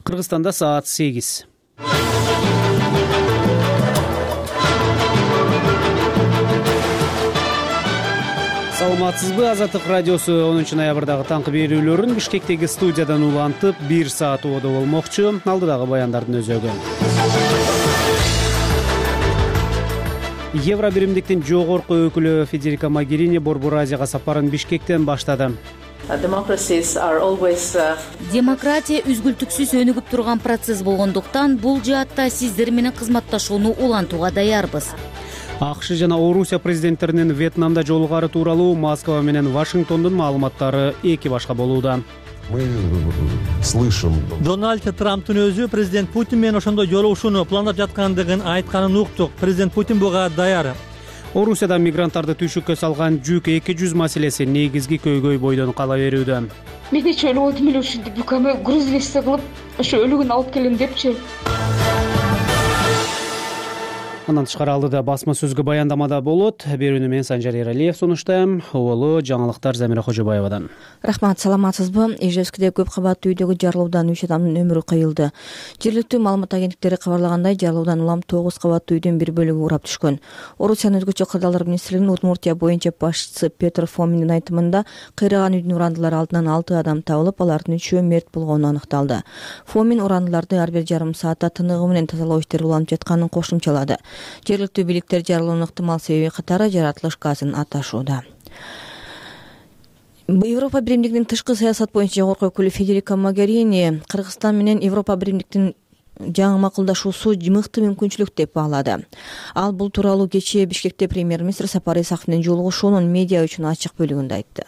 Кыргызстанда саат 8. Саламатсызбы? Азаттык радиосу 10-ноябрдагы таңкы берүүлөрүн Бишкектеги студиядан улантып 1 саат убада болмокчу. Алдыдагы баяндардын өзөгү. Евро биримдиктин жогорку өкүлү Федерика Могерини Борбор Азияга сапарын Бишкектен баштады. Демократия үзгүлтүксүз өнүгүп турган процесс болгондуктан бул жаатта сиздер менен кызматташууну улантууга даярбыз. АКШ жана Орусия президенттеринин Вьетнамда жолугары тууралуу Москва менен Вашингтондун маалыматтары эки башка болууда. Мы слышим. Дональд Трамптын өзү президент Путин менен ошондой жолугушууну пландап жаткандыгын айтканын уктук. Президент Путин буга даяр. Орусияда мигранттарды түйшүккө салган жүк 200 маселеси негизги көйгөй бойдон кала берүүдө. Мен нече өлүп отум эле ушинтип бүкөмө груз лесте кылып ошо өлүгүн алып келем депчи. Андан тышкары алдыда басма сөзгө баяндамада болот. Берүүнү мен Санжар Эралиев сунуштайм. Убулуу жаңылыктар Замира Кожобаевадан. Рахмат, саламатсызбы? Ижевскиде көп кабаттуу үйдөгү жарылуудан 3 адамдын өмүрү кыйылды. Жергиликтүү маалымат агенттиктери кабарлагандай, жарылуудан улам 9 кабаттуу үйдүн бир бөлүгү урап түшкөн. Орусиянын өзгөчө кырдаалдар министрлигинин Удмуртия боюнча башчысы Петр Фоминдин айтымында, кыйраган үйдүн урандылары алдынан 6 адам табылып, алардын 3-өө мерт болгону аныкталды. Фомин урандыларды ар бир жарым саатта тыныгы менен тазалоо иштери уланып жатканын кошумчалады. Жергиликтүү бийликтер жарылуунун ыктымал себеби катары жаратылыш газын аташууда. Европа биримдигинин тышкы саясат боюнча жогорку өкүлү Федерика Могерини Кыргызстан менен Европа биримдиктин жаңы макулдашуусу мыкты мүмкүнчүлүк деп баалады. Ал бул тууралуу кечээ Бишкекте премьер-министр Сапар Исаков менен жолугушуунун медиа үчүн ачык бөлүгүндө айтты.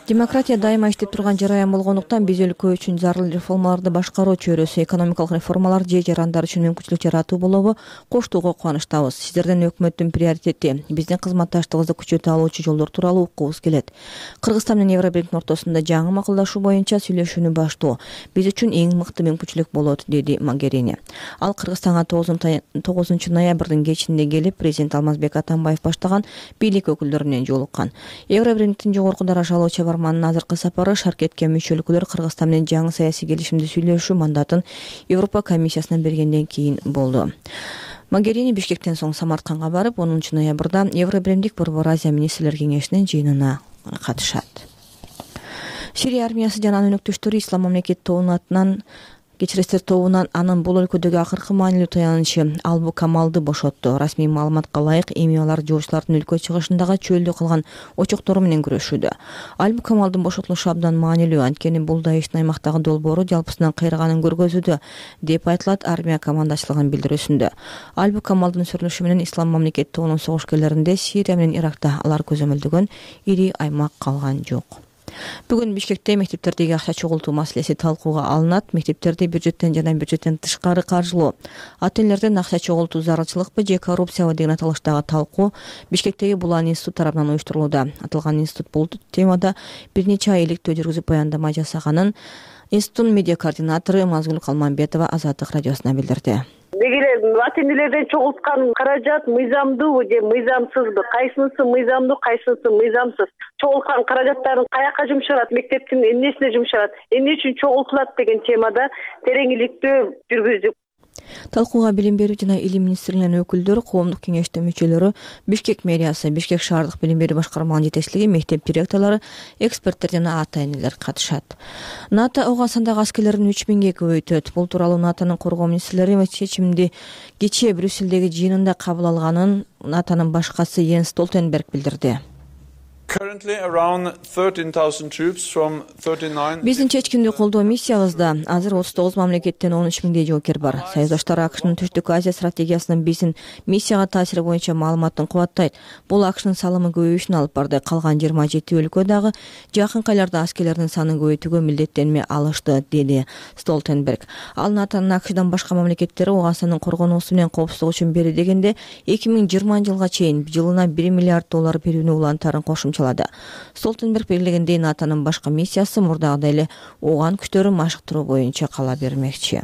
Демократия дайыма иштеп турган жараян болгондуктан биз өлкө үчүн зарыл реформаларды башкаруу чөйрөсү, экономикалык реформалар же жарандар үчүн мүмкүнчүлүк жаратуу болобу коштоого кубанычтабыз. Сиздерден өкмөттүн приоритети биздин кызматташтыгыбызды күчөтө алуучу жолдор тууралуу уккубуз келет. Кыргызстан менен Евробиримдин ортосунда жаңы макулдашуу боюнча сүйлөшүүнү баштоо биз үчүн эң мыкты мүмкүнчүлүк болот, деди Могерини. Ал Кыргызстанга 9-ноябрдын кечинде келип, президент Алмазбек Атамбаев баштаган бийлик өкүлдөрү менен жолуккан. Евробиримдиктин жогорку даражалуу чабарманынын азыркы сапары шаркетке мүчө өлкөлөр Кыргызстан менен жаңы саясий келишимди сүйлөшүү мандатын Европа комиссиясынан бергенден кийин болду. Могерини Бишкектен соң Самаркандга барып, 10-ноябрда Евробиримдик Борбор Азия министрлер кеңешинин жыйынына катышат. Сирия армиясы жана анын өнөктөштөрү Ислам мамлекет тобунан анын бул өлкөдөгү акыркы маанилүү таянычы Албу Камалды бошотту. Расмий маалыматка ылайык, эми алар жоочулардын өлкө чыгышындагы чөлдө калган очоктору менен күрөшүүдө. Албу Камалдын бошотулушу абдан маанилүү, анткени бул Даиштин аймактагы долбоору жалпысынан кыйраганын көргөзүүдө, деп айтылат армия командачылыгынын билдирүүсүндө. Албу Камалдын сүрүлүшү менен Ислам мамлекет тобунун согушкерлеринде Сирия менен Иракта алар көзөмөлдөгөн ири аймак калган жок. Бүгүн Бишкекте мектептердеги акча чогултуу маселеси талкууга алынат. Мектептерди бюджеттен жана бюджеттен тышкары каржылоо, ата-энелерден акча чогултуу зарылчылыкпы же коррупциябы деген аталыштагы талкуу Бишкектеги Булан институт тарабынан уюштурулууда. Аталган институт бул темада бир нече ай иликтөө жүргүзүп баяндама жасаганын институттун медиа координатору Мазгул Калманбетова Азаттык радиосуна билдирди. Деги эле ата-энелерден чогулткан каражат мыйзамдуубу же мыйзамсызбы? Кайсынысы мыйзамдуу, кайсынысы мыйзамсыз? Чогулткан каражаттарын каяка жумшалат, мектептин эмнесине жумшалат, эмне үчүн чогултулат деген темада терең иликтөө жүргүздүк. Талкууга билим берүү жана илим министрлигинин өкүлдөрү, коомдук кеңештин мүчөлөрү, Бишкек мэриясы, Бишкек шаардык билим берүү башкармаларынын жетекчилиги, мектеп директорлору, эксперттер жана ата-энелер катышат. НАТО Аугандагы аскерлерин 3000ге көбөйтөт. Бул тууралуу НАТОнун коргоо министрлери чечимди кечээ Брюссельдеги жыйынында кабыл алганын НАТОнун башкасы Йенс Столтенберг билдирди. Биздин чечкиндүү колдоо миссиябызда азыр 39 мамлекеттен 13.000 жоокер бар. Союздаштар АКШнын Түштүк Азия стратегиясынын биздин миссияга таасири боюнча маалыматын кубаттайт. Бул АКШнын салымы көбөйүшүнө алып барды. Калган 27 өлкө дагы жакынкы айларда аскерлердин санын көбөйтүүгө милдеттенме алышты, деди Столтенберг. Ал НАТОнун АКШдан башка мамлекеттери Ауганстандын коргонуусу менен коопсуздугу үчүн бери дегенде 2020 жылга чейин жылына $1 миллиард берүүнү улантарын кошумчалады. Столтенберг белгилегендей, НАТОнун башка миссиясы мурдагыдай эле Ооган күчтөрүн машыктыруу боюнча кала бермекчи.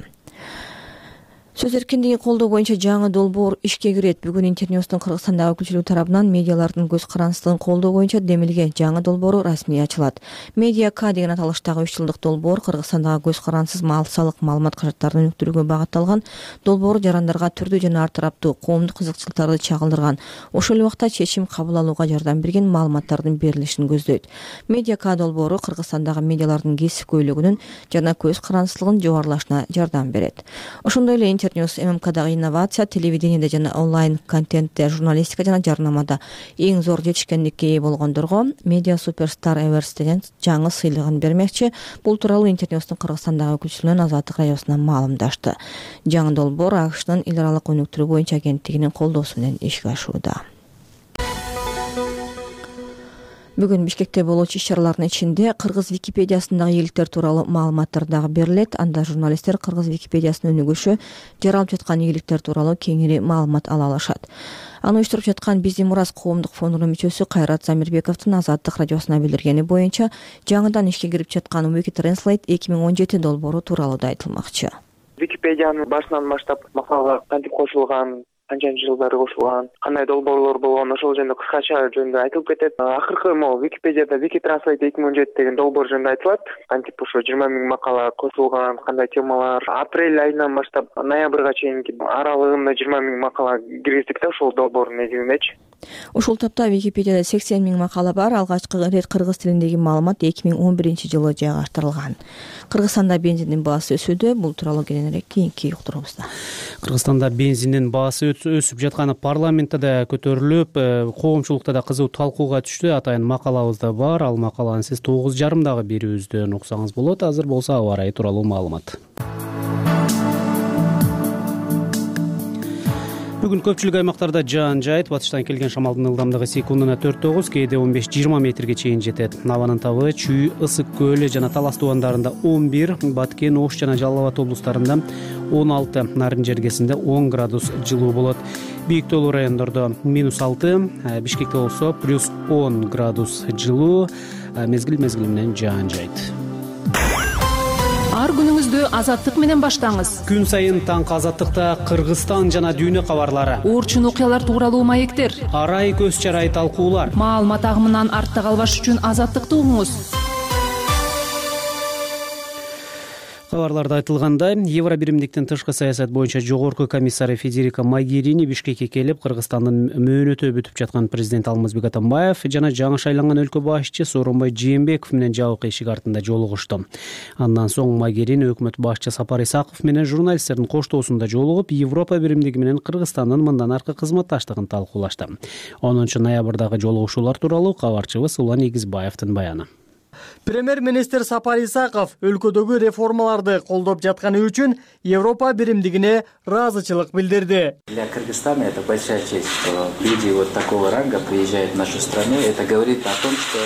Сөз эркиндигин колдоо боюнча жаңы долбоор ишке кирет. Бүгүн Интерньюстун Кыргызстандагы өкүлчүлүгү тарабынан медиалардын көз карандысылыгын колдоо боюнча демилген жаңы долбоору расмий ачылат. Медиа К деген аталыштагы 3 жылдык долбоор Кыргызстандагы көз карандысыз салык маалымат каражаттарын өнүктүрүүгө багытталган. Долбоор жарандарга түрдүү жана ар тараптуу коомдук кызыкчылыктарды чагылдырган. Ошол эле убакта чечим кабыл алууга жардам берген маалыматтардын берилишин көздөйт. Медиа К долбоору Кыргызстандагы медиалардын кесипкөйлүгүнүн жана көз карандысылыгынын жогорулашына жардам берет. Ошондой эле Интерньюс ММКдагы инновация, телевидениеде жана онлайн контентте, журналистика жана жарнамада эң зор жетишкендикке ээ болгондорго Media Superstar Awards'тен жаңы сыйлыгын бермекчи. Бул тууралуу Интерньюстун Кыргызстандагы өкүлчүлүгүнүн Азаттык радиосуна маалымдашты. Жаңы долбоор АКШнын эл аралык өнүктүрүү боюнча агенттигинин колдоосу менен ишке ашууда. Бүгүн Бишкекте болуучу иш-чаралардын ичинде Кыргыз Википедиясындагы ийгиликтер тууралуу маалыматтар дагы берилет. Анда журналисттер Кыргыз Википедиясынын өнүгүшү, жаралып жаткан ийгиликтер тууралуу кеңири маалымат ала алышат. Аны уюштуруп жаткан Биздин мурас коомдук фондунун мүчөсү Кайрат Замирбековдун Азаттык радиосуна билдиргени боюнча, жаңыдан ишке кирип жаткан Wikitranslate 2017 долбоору тууралуу да айтылмакчы. Википедиянын башынан баштап макалага кантип кошулган, канчанчы жылдары кошулган, кандай долбоорлор болгон, ошол жөнүндө кыскача жөнүндө айтылып кетет. Акыркы могу Википедияда Wikitranslate 2017 деген долбоор жөнүндө айтылат. Кантип ошо 20 000 макала кошулган, кандай темалар. Апрель айынан баштап ноябрга чейинки аралыгында 20 000 макала киргиздик да ошол долбоордун негизиндечи. Ушул тапта Википедияда 80 000 макала бар. Алгачкы ирет кыргыз тилиндеги маалымат 2011-жылы жайгаштырылган. Кыргызстанда бензиндин баасы өсүүдө. Бул тууралуу кененирээк кийинки уктуруубузда. Кыргызстанда бензиндин баасы өсүп жатканы парламентте да көтөрүлүп, коомчулукта да кызуу талкууга түштү. Атайын макалабыз да бар. Ал макаланы сиз 9:30 берүүбүздөн уксаңыз болот. Азыр болсо аба ырайы тууралуу маалымат. Бүгүн көпчүлүк аймактарда жаан жайт. Батыштан келген шамалдын ылдамдыгы секундуна 4-9, кээде 15-20 метрге чейин жетет. Набанын табы Чүй, Ысык көлү жана Талас тубандарында 11, Баткен, Ош жана Жалал Абад облустарында 16, Нарын жергесинде 10 градус жылуу болот. Бийик тоолуу райондордо -6, Бишкекте болсо +10 градус жылуу. Мезгил менен жаан жайт. Ар күнүңүздү азаттык менен баштаңыз. Күн сайын таңкы азаттыкта Кыргызстан жана дүйнө кабарлары, Орчун окуялар тууралуу маектер, арай көз чарай талкуулар. Маалымат агымынан артта калбаш үчүн азаттыкты угуңуз. Кабарларда айтылгандай, Евробиримдиктин тышкы саясат боюнча жогорку комиссары Федерика Могерини Бишкекке келип, Кыргызстандын мөөнөтү бүтүп жаткан президент Алмазбек Атамбаев жана жаңы шайланган өлкө башчысы Сооронбай Жээнбеков менен жабык эшик артында жолугушту. Андан соң Могерини өкмөт башчысы Сапар Исаков менен журналисттердин коштоосунда жолугуп, Европа биримдиги менен Кыргызстандын мындан аркы кызматташтыгын талкуулашты. 10-ноябрдагы жолугушуулар тууралуу кабарчыбыз Улан Игизбаевдин баяны. Премьер-министр Сапар Исаков өлкөдөгү реформаларды колдоп жатканы үчүн Европа биримдигине ыраазычылык билдирди. Для Кыргызстана это большая честь, что люди вот такого ранга приезжают в нашу страну. Это говорит о том, что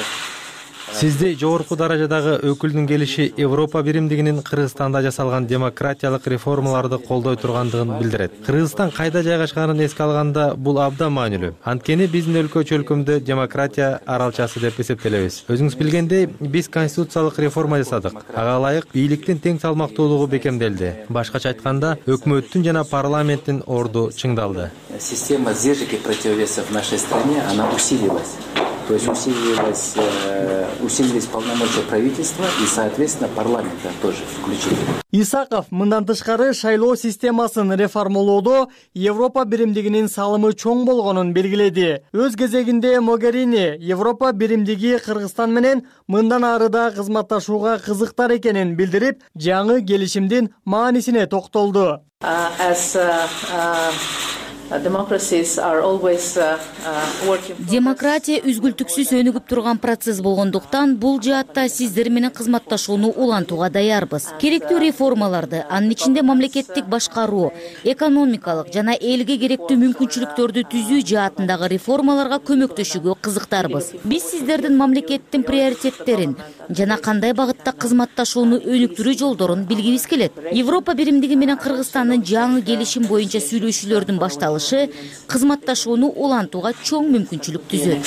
Сизди жогорку даражадагы өкүлдүн келиши Европа биримдигинин Кыргызстанда жасалган демократиялык реформаларды колдой тургандыгын билдирет. Кыргызстан кайда жайгашканын эске алганда бул абдан маанилүү. Анткени биздин өлкө-чөлкөмдө демократия аралчасы деп эсептелебиз. Өзүңүз билгендей, биз конституциялык реформа жасадык. Ага ылайык бийликтин тең салмактуулугу бекемделди. Башкача айтканда, өкмөттүн жана парламенттин орду чыңдалды. Система сдержек и противовесов в нашей стране, она усилилась. То есть усилились полномочия правительства и, соответственно, парламента тоже включили. Исаков мындан тышкары шайлоо системасын реформалоодо Европа биримдигинин салымы чоң болгонун белгиледи. Өз кезегинде Могерини Европа биримдиги Кыргызстан менен мындан ары да кызматташууга кызыктар экенин билдирип, жаңы келишимдин маанисине токтолду. Демократия үзгүлтүксүз өнүгүп турган процесс болгондуктан бул жаатта сиздер менен кызматташууну улантууга даярбыз. Керектүү реформаларды, анын ичинде мамлекеттик башкаруу, экономикалык жана элге керектүү мүмкүнчүлүктөрдү түзүү жаатындагы реформаларга көмөктөшүүгө кызыктарбыз. Биз сиздердин мамлекеттин приоритеттерин жана кандай багытта кызматташууну өнүктүрүү жолдорун билгибиз келет. Европа биримдиги менен Кыргызстандын жаңы келишим боюнча сүйлөшүүлөрдүн башталышы кызматташууну улантууга чоң мүмкүнчүлүк түзөт.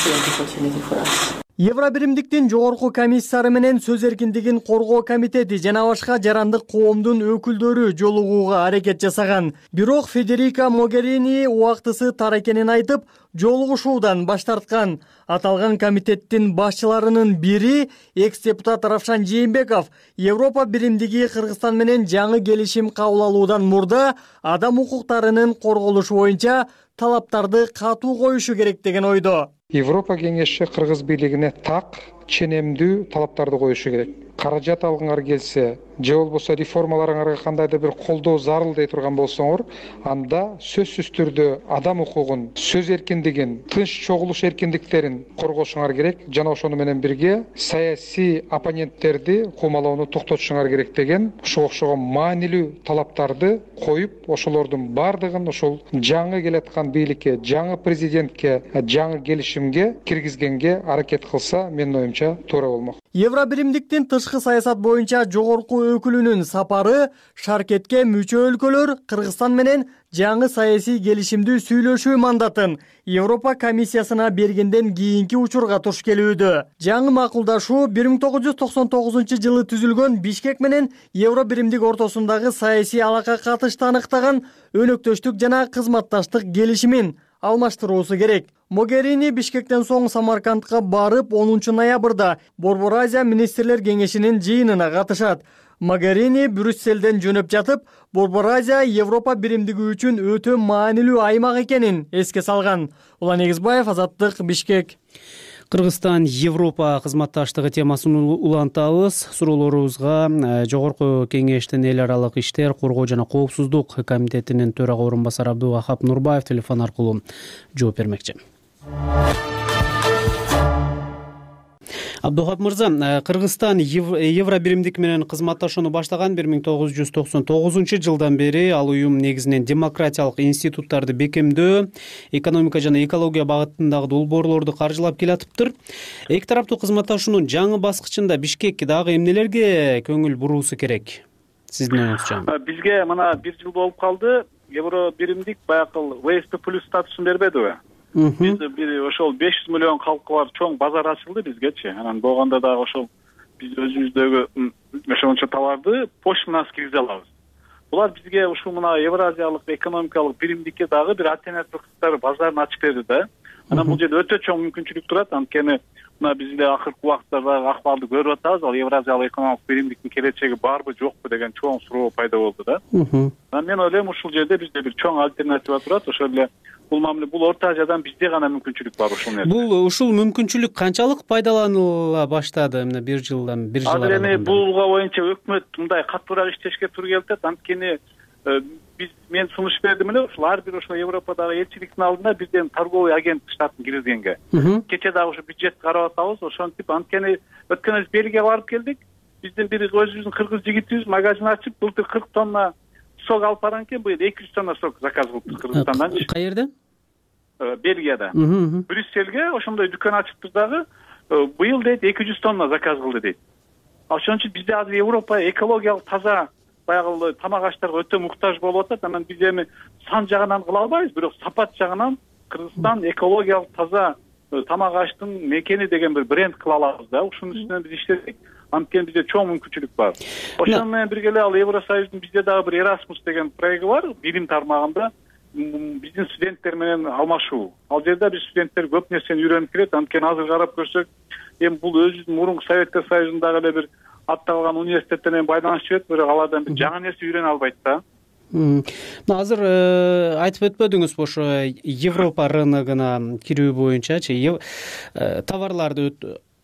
Евро биримдиктин жогорку комиссары менен сөз эркиндигин коргоо комитети жана башка жарандык коомдун өкүлдөрү жолугууга аракет жасаган. Бирок Федерика Могерини убактысы тар экенин айтып, жолугушуудан баш тарткан. Аталган комитеттин башчыларынын бири экс-депутат Равшан Жээнбеков Европа биримдиги Кыргызстан менен жаңы келишим кабыл алуудан мурда адам укуктарынын корголушу боюнча талаптарды катуу коюшу керек деген ойдо. Европа кеңеши Кыргыз бийлигине так, ченемдүү талаптарды коюшу керек. Каражат алгыңар келсе, же болбосо реформаларыңарга кандайдыр бир колдоо зарыл дей турган болсоңор, анда сөзсүз түрдө адам укугун, сөз эркиндигин, тынч чогулуш эркиндиктерин коргошуңар керек. Жана ошону менен бирге саясий оппоненттерди куумалоону токтотушуңар керек деген ушуга окшогон маанилүү талаптарды коюп, ошолордун бардыгын ошол жаңы келаткан бийликке, жаңы президентке, жаңы келишимге киргизгенге аракет кылса, менин оюмча туура болмок. Евро биримдиктин тышкы саясат боюнча жогорку өкүлүнүн сапары шаркетке мүчө өлкөлөр Кыргызстан менен жаңы саясий келишимди сүйлөшүү мандатын Европа комиссиясына бергенден кийинки учурга туш келүүдө. Жаңы макулдашуу 1999 жылы түзүлгөн Бишкек менен Евро биримдик ортосундагы саясий алака катышты аныктаган өнөктөштүк жана кызматташтык келишимин алмаштыруусу керек. Могерини Бишкектен соң Самаркандка барып, 10 ноябрда Борбор Азия министрлер кеңешинин жыйынына катышат. Могерини Брюсселден жөнөп жатып, Борбор Азия Европа биримдиги үчүн өтө маанилүү аймак экенин эске салган. Улан Эгизбаев, Азаттык, Бишкек. Кыргызстан Европа кызматташтыгы темасын улантабыз. Суроолорубузга Жогорку кеңештин эл аралык иштер, коргоо жана коопсуздук комитетинин төрага орун басары Абдувахап Нурбаев телефон аркылуу жооп бермекчи. Абдухап мырза, Кыргызстан Евро биримдик менен кызматташууну баштаган 1999 жылдан бери ал уюм негизинен демократиялык институттарды бекемдөө, экономика жана экология багытындагы долбоорлорду каржылап келатыптыр. Эки тараптуу кызматташуунун жаңы баскычында Бишкек дагы эмнелерге көңүл буруусу керек? Сиздин оюңузча. Бизге мына 1 жыл болуп калды. Евро биримдик баягы WSP+ статусун бербедиби? Биз бир ошол 500 миллион калкы бар чоң базар ачылды бизгечи. Анан болгондо дагы ошол биз өзүбүздөгү ошончо товарды почта менен киргизе алабыз. Булар бизге ушул мына Евразиялык экономикалык биримдикке дагы бир альтернативдүү базарын ачып берди да. Анан бул жерде өтө чоң мүмкүнчүлүк турат. Анткени мына биз эле акыркы убактарда акыбарды көрүп атабыз. Ал Евразиялык экономикалык биримдиктин келечеги барбы жокпу деген чоң суроо пайда болду да. Анан мен ойлойм ушул жерде бизде бир чоң альтернатива турат. Ошол эле бул мамиле бул Орто Азиядан бизде гана мүмкүнчүлүк бар ушул нерсе. Ушул мүмкүнчүлүк канчалык пайдаланыла баштады мына 1 жыл Азыр эми булга боюнча өкмөт мындай катуураак иштешке туура келип атат. Анткени мен сунуш бердим эле ушул ар бир ошол Европадагы элчиликтин алдында бирден торговый агент штатын киргизгенге. Кече дагы ушу бюджетти карап атабыз. Ошентип анткени өткөн Бельгияга барып келдик. Биздин бир өзүбүздүн кыргыз жигитибиз магазин ачып, былтыр 40 тонна сок алып барган экен, быйыл 200 тонна сок заказ кылдык Кыргызстандан. Каерде? Бельгияда. Брюссельге ошондой дүкөн ачыптыр дагы. Быйыл дейт 200 тонна заказ кылды дейт. Ошон үчүн бизде азыр Европа экологиялык таза баягы тамак аштарга өтө муктаж болуп атат. Анан биз эми сан жагынан кыла албайбыз, бирок сапат жагынан Кыргызстан экологиялык таза тамак аштын мекени деген бир бренд кыла алабыз да. Ушунун үстүнөн биз иштедик. Анткени бизде чоң мүмкүнчүлүк бар. Ошону менен бирге эле ал Евросоюздун бизде дагы бир Erasmus деген проекти бар, билим тармагында биздин студенттер менен алмашуу. Ал жерде биз студенттер көп нерсени үйрөнүп келет. Анткени азыр карап көрсөк, эми бул өзүбүздүн мурунку Советтер Союзундагы эле бир атталган университеттер менен байланышып жүрөт, бирок алардан бир жаңы нерсе үйрөнө албайт да. Азыр айтып өтпөдүңүзбү ошо Европа рыногуна кирүү боюнчачы, товарларды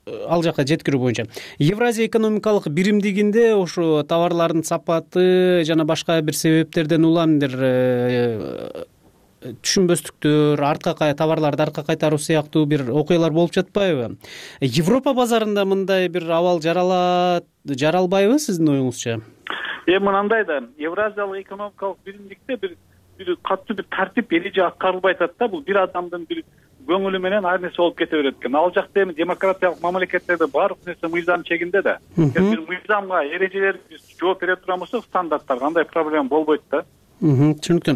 ал жака жеткирүү боюнча Евразия экономикалык биримдигинде ошо товарлардын сапаты жана башка бир себептерден улам бир түшүнбөстүктөр, товарларды артка кайтаруу сыяктуу бир окуялар болуп жатпайбы? Европа базарында мындай бир абал жаралбайбы сиздин оюңузча? Мынандай да, Евразиялык экономикалык биримдикте бир катуу бир тартип эреже аткарылбай атат да. Бул бир адамдын бир көңүлү менен ар нерсе болуп кете берет экен. Ал жакта эми демократиялык мамлекеттерде баардык нерсе мыйзам чегинде да. Бир мыйзамга, эрежелерге жооп бере турган болсок, стандарттарга андай проблема болбойт да. Түшүнүктүү.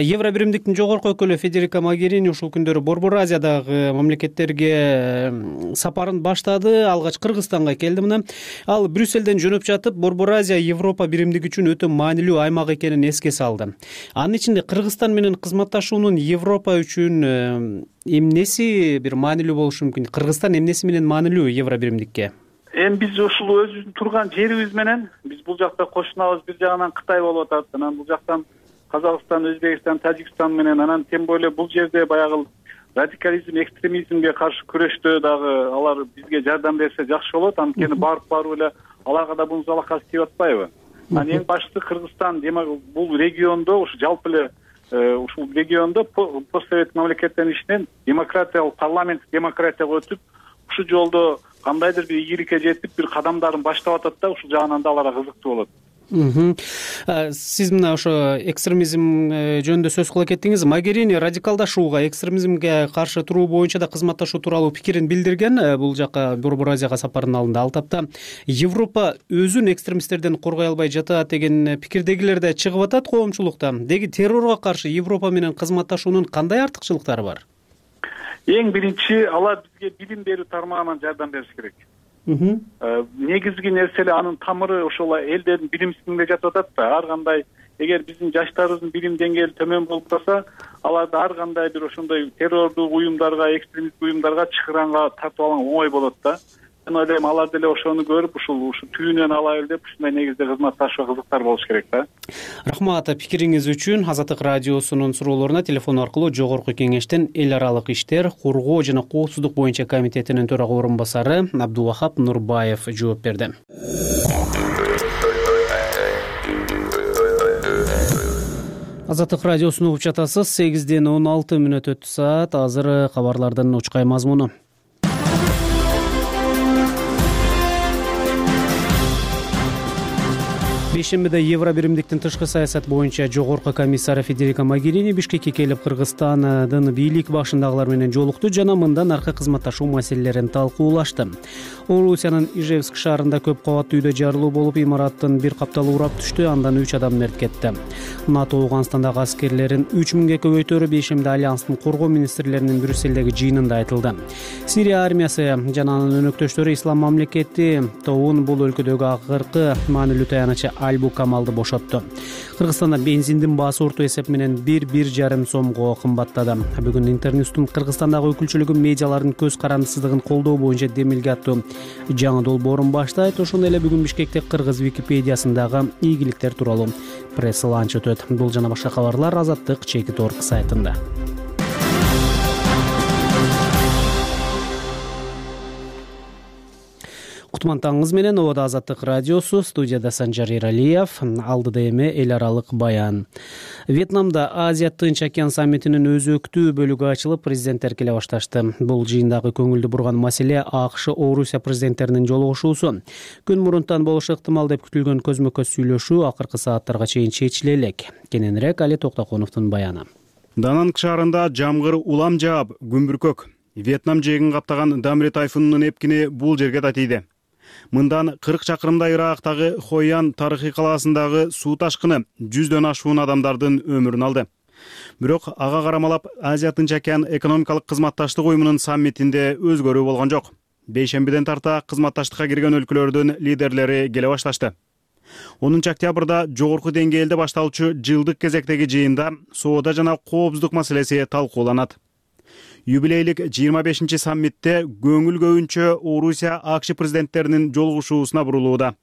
Евро биримдиктин жогорку өкүлү Федерика Могерини ушул күндөрү Борбор Азиядагы мамлекеттерге сапарын баштады. Алгач Кыргызстанга келди мына. Ал Брюсселден жөнөп жатып, Борбор Азия Европа биримдиги үчүн өтө маанилүү аймак экенин эске салды. Анын ичинде Кыргызстан менен кызматташуунун Европа үчүн эмнеси бир маанилүү болушу мүмкүн? Кыргызстан эмнеси менен маанилүү Евро биримдикке? Эми биз ушул өзүбүздүн турган жерибиз менен биз бул жакта кошунабыз. Бир жагынан Кытай болуп атат, анан бул жактан Казакстан, Өзбекстан, Тажикстан менен, анан тем более бул жерде баягы радикализм, экстремизмге каршы күрөштө дагы алар бизге жардам берсе жакшы болот. Анткени барып эле аларга да бунун залакасы тийип атпайбы? Анан эң башкысы Кыргызстан, демек бул региондо ушу жалпы эле ушул региондо постсовет мамлекеттердин ичинен демократиялык парламент демократияга өтүп, ушул жолдо кандайдыр бир ийгиликке жетип, бир кадамдарын баштап атат да, ушул жагынан да аларга кызыктуу болот. Сиз мына ошо экстремизм жөнүндө сөз кыла кеттиңиз. Могерини радикалдашууга, экстремизмге каршы туруу боюнча да кызматташуу тууралуу пикирин билдирген. Бул жака Борбор Азияга сапардын алдында ал тапта Европа өзүн экстремисттерден коргой албай жатат деген пикирдегилер да чыгып атат коомчулукта. Деги террорго каршы Европа менен кызматташуунун кандай артыкчылыктары бар? Эң биринчи, алар бизге билим берүү тармагынан жардам бериш керек. Негизги нерсе анын тамыры ошол элдердин билимсиздигинде жатып атат да. Ар кандай эгер биздин жаштарыбыздын билим деңгээли төмөн болуп калса, аларды ар кандай бир ошондой террордук уюмдарга, экстремисттик уюмдарга чыгыранга тартып алган оңой болот да. Мен ойлойм, алар деле ошону көрүп, ушу түйүнөн алайлы деп ушундай негизде кызматташууга кызыктар болуш керек да. Рахмат пикириңиз үчүн. Азаттык радиосунун суроолоруна телефон аркылуу Жогорку Кеңештин эл аралык иштер, кургоо жана коопсуздук боюнча комитетинин төрага орун басары Абдувахап Нурбаев жооп берди. Азаттык радиосун угуп жатасыз. 8:16 өттү саат. Азыр кабарлардын учкай мазмуну. Бейшембиде Евро биримдиктин тышкы саясат боюнча жогорку комиссары Федерика Могерини Бишкекке келип, Кыргызстандын бийлик башындагылар менен жолукту жана мындан аркы кызматташуу маселелерин талкуулашты. Орусиянын Ижевск шаарында көп кабаттуу үйдө жарылуу болуп, имараттын бир капталы урап түштү, андан 3 адам мерт кетти. НАТО Ауганстандагы аскерлерин 3000ге көбөйтөрү бейшембиде Альянстын коргоо министрлеринин Брюсселдеги жыйынында айтылды. Сирия армиясы жана анын өнөктөштөрү Ислам мамлекети тобун бул өлкөдөгү акыркы маанилүү таянычы Альбу Камалды бошотту. Кыргызстанда бензиндин баасы орто эсеп менен 1,5 сомго кымбаттады. Бүгүн Интерньюстун Кыргызстандагы өкүлчүлүгү медиалардын көз карандысыздыгын колдоо боюнча демилге аттуу жаңы долбоорун баштайт. Ошондой эле бүгүн Бишкекте Кыргыз Википедиясындагы ийгиликтер тууралуу пресс-ланч өтөт. Бул жана башка кабарлар Азаттык Чекит.org сайтында. Кутман таңыңыз менен, Обода Азаттык радиосу, студияда Санжар Иралиев, алдыда эми эл аралык баян. Вьетнамда Азия Тынч океан саммитинин өзөктүү бөлүгү ачылып, президенттер келе башташты. Бул жыйындагы көңүлдү бурган маселе АКШ Орусия президенттеринин жолугушуусу. Күн мурунтан болушу ыктымал деп күтүлгөн көзмө-көз сүйлөшүү акыркы сааттарга чейин чечиле элек. Кененирээк Али Токтоконовдун баяны. Дананг шаарында жамгыр улам жаап, күн бүркөк. Вьетнам жээгин каптаган Дамри тайфунунун эпкини бул жерге да тийди. Мындан 40 чакырымдай ыраактагы Хойян тарыхый калаасындагы суу ташкыны 100дөн ашуун адамдардын өмүрүн алды. Бирок ага карамалап Азия Тынч океан экономикалык кызматташтык уюмунун саммитинде өзгөрүү болгон жок. Бейшембиден тарта кызматташтыкка кирген өлкөлөрдүн лидерлери келе башташты. 10 октябрда жогорку деңгээлде башталчу жылдык кезектеги жыйында соода жана коопсуздук маселеси талкууланат. Юбилейлик 25 саммитте көңүл көбүнчө Орусия АКШ президенттеринин жолугушуусуна бурулууда.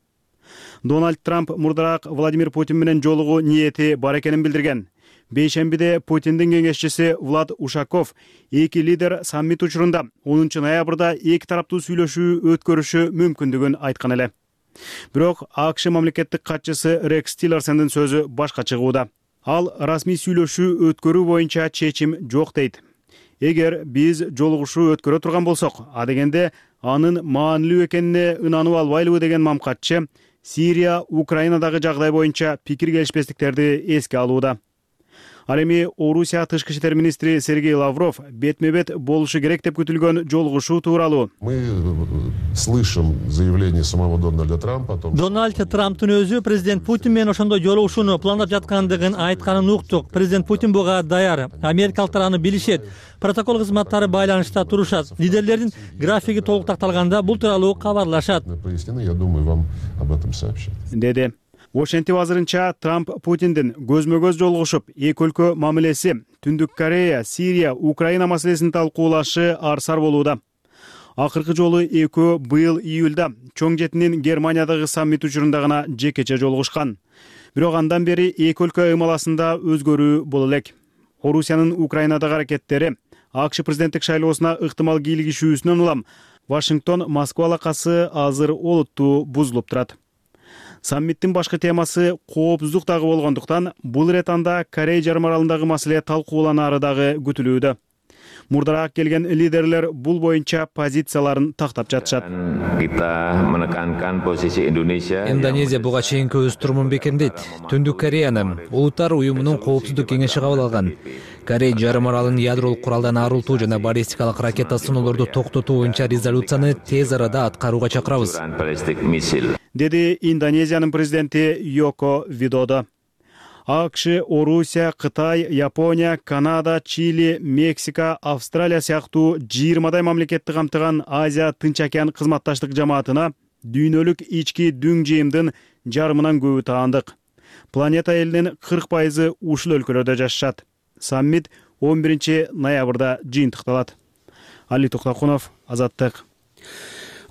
Дональд Трамп мурдараак Владимир Путин менен жолугуу ниети бар экенин билдирген. Бейшембиде Путиндин кеңешчиси Влад Ушаков эки лидер саммит учурунда 10 ноябрда эки тараптуу сүйлөшүү өткөрүшү мүмкүндүгүн айткан эле. Бирок АКШ мамлекеттик катчысы Рекс Тиллерсондун сөзү башка чыгууда. Ал расмий сүйлөшүү өткөрүү боюнча чечим жок дейт. Эгер биз жолугушуу өткөрө турган болсок, адегенде анын маанилүү экенине ынанып албайлыбы деген мамкатчы Сирия, Украинадагы жагдай боюнча пикир келишпестиктерди эске алууда. Ал эми Орусия тышкы иштер министри Сергей Лавров бетме бет болушу керек деп күтүлгөн жолугушуу тууралуу. Мы слышим заявление самого Дональда Трампа о том, Дональд Трамптын өзү президент Путин менен ошондой жолугушууну пландап жаткандыгын айтканын уктук. Президент Путин буга даяр. Америкалыктар аны билишет. Протокол кызматтары байланышта турушат. Лидерлердин графиги толук такталганда бул тууралуу кабарлашат. я думаю, вам об этом сообщат. Деди. Ошентип азырынча Трамп Путиндин көзмө-көз жолугушуп, эки өлкө мамилеси, Түндүк Корея, Сирия, Украина маселесин талкуулашы арсар болууда. Акыркы жолу экөө быйыл июлда Чоңжетинин Германиядагы саммит учурунда гана жекече жолугушкан. Бирок андан бери эки өлкө ымаласында өзгөрүү боло элек. Орусиянын Украинадагы аракеттери АКШ президенттик шайлоосуна ыктымал кийлигишүүсүнөн улам Вашингтон Москва алакасы азыр олуттуу бузулуп турат. Саммиттин башкы темасы коопсуздук дагы болгондуктан бул ирет анда Корея жарым аралындагы маселе талкууланары дагы күтүлүүдө. Мурдараак келген лидерлер бул боюнча позицияларын тактап жатышат. Индонезия буга чейинки өз турумун бекемдейт. Түндүк Кореяны Улуттар уюмунун коопсуздук кеңеши кабыл алган. Корея жарым аралын ядролук куралдан арылтуу жана баллистикалык ракета сыноолорду токтотуу боюнча резолюцияны тез арада аткарууга чакырабыз, деди Индонезиянын президенти Йоко Видодо. АКШ, Орусия, Кытай, Япония, Канада, Чили, Мексика, Австралия сыяктуу 20 мамлекетти камтыган Азия Тынч океан кызматташтык жамаатына дүйнөлүк ички дүң жыйымдын жарымынан көбү таандык. Планета элинин 40% ушул өлкөлөрдө жашашат. Саммит 11 ноябрда жыйынтыкталат. Али Токтокунов, Азаттык.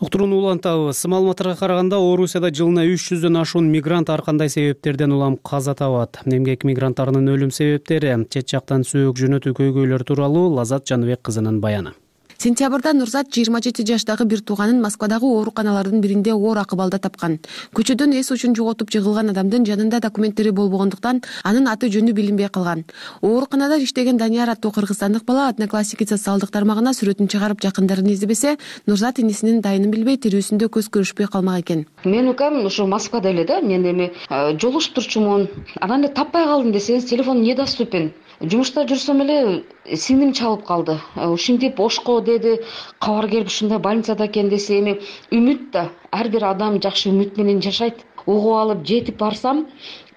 Уктурууну улантабыз. Маалыматтарга караганда, Орусияда жылына 300дөн ашуун мигрант ар кандай себептерден улам каза табат. Эмгек мигранттарынын өлүм себептери, чет жактан сөөк жөнөтүү көйгөйлөр тууралуу Лазат Жаныбек кызынын баяны. Сентябрда Нурзат 27 жаштагы бир тууганын Москвадагы ооруканалардын биринде оор акыбалда тапкан. Көчөдөн эс учун жоготуп жыгылган адамдын жанында документтери болбогондуктан анын аты жөнү билинбей калган. Ооруканада иштеген Данияр аттуу кыргызстандык бала Одноклассники социалдык тармагына сүрөтүн чыгарып жакындарын издебесе, Нурзат инисинин дайынын билбей тирүүсүндө көз көрүшпөй калмак экен. Мен укам ушу Москвада эле да, мен эми жолугушуп турчумун. Анан эле таппай калдым десеңиз, телефон недоступен. Жумушта жүрсөм эле сиңдим чалып калды. Ушинтип Ошко деди, кабар келип ушундай больницада экен десе, эми үмүт да, ар бир адам жакшы үмүт менен жашайт. Угуп алып жетип барсам,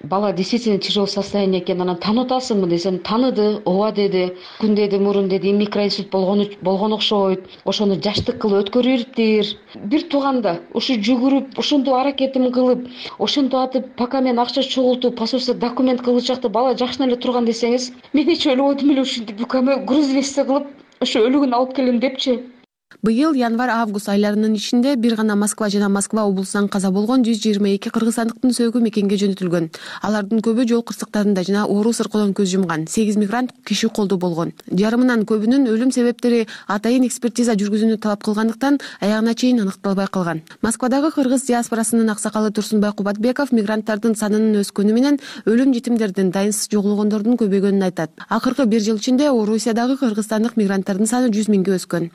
бала действительно тяжелый состояние экен. Анан танып атасыңбы десем, таныды, ооба деди. Күн деди, мурун деди, микроинсульт болгон окшойт. Ошону жаштык кылып өткөрүптир. Бир тууганда ушу жүгүрүп, ушунтип аракетим кылып, ошентип атып, пока мен акча чогултуп, посольство документ кылычакты бала жакшына эле турган десеңиз, мен эч ойлободум эле ушинтип укамы груз вести кылып, ушу өлүгүн алып келем депчи. Быйыл январь-август айларынын ичинде бир гана Москва жана Москва облусунан каза болгон 122 кыргызстандыктын сөөгү мекенге жөнөтүлгөн. Алардын көбү жол кырсыктарында жана оору сыркоодон көз жумган. 8 мигрант киши колдо болгон. Жарымынан көбүнүн өлүм себептери атайын экспертиза жүргүзүүнү талап кылгандыктан аягына чейин аныкталбай калган. Москвадагы кыргыз диаспорасынын аксакалы Турсунбай Кубатбеков мигранттардын санынын өскөнү менен өлүм жетимдердин, дайынсыз жоголгондордун көбөйгөнүн айтат. Акыркы бир жыл ичинде Орусиядагы кыргызстандык мигранттардын саны 100 миңге өскөн.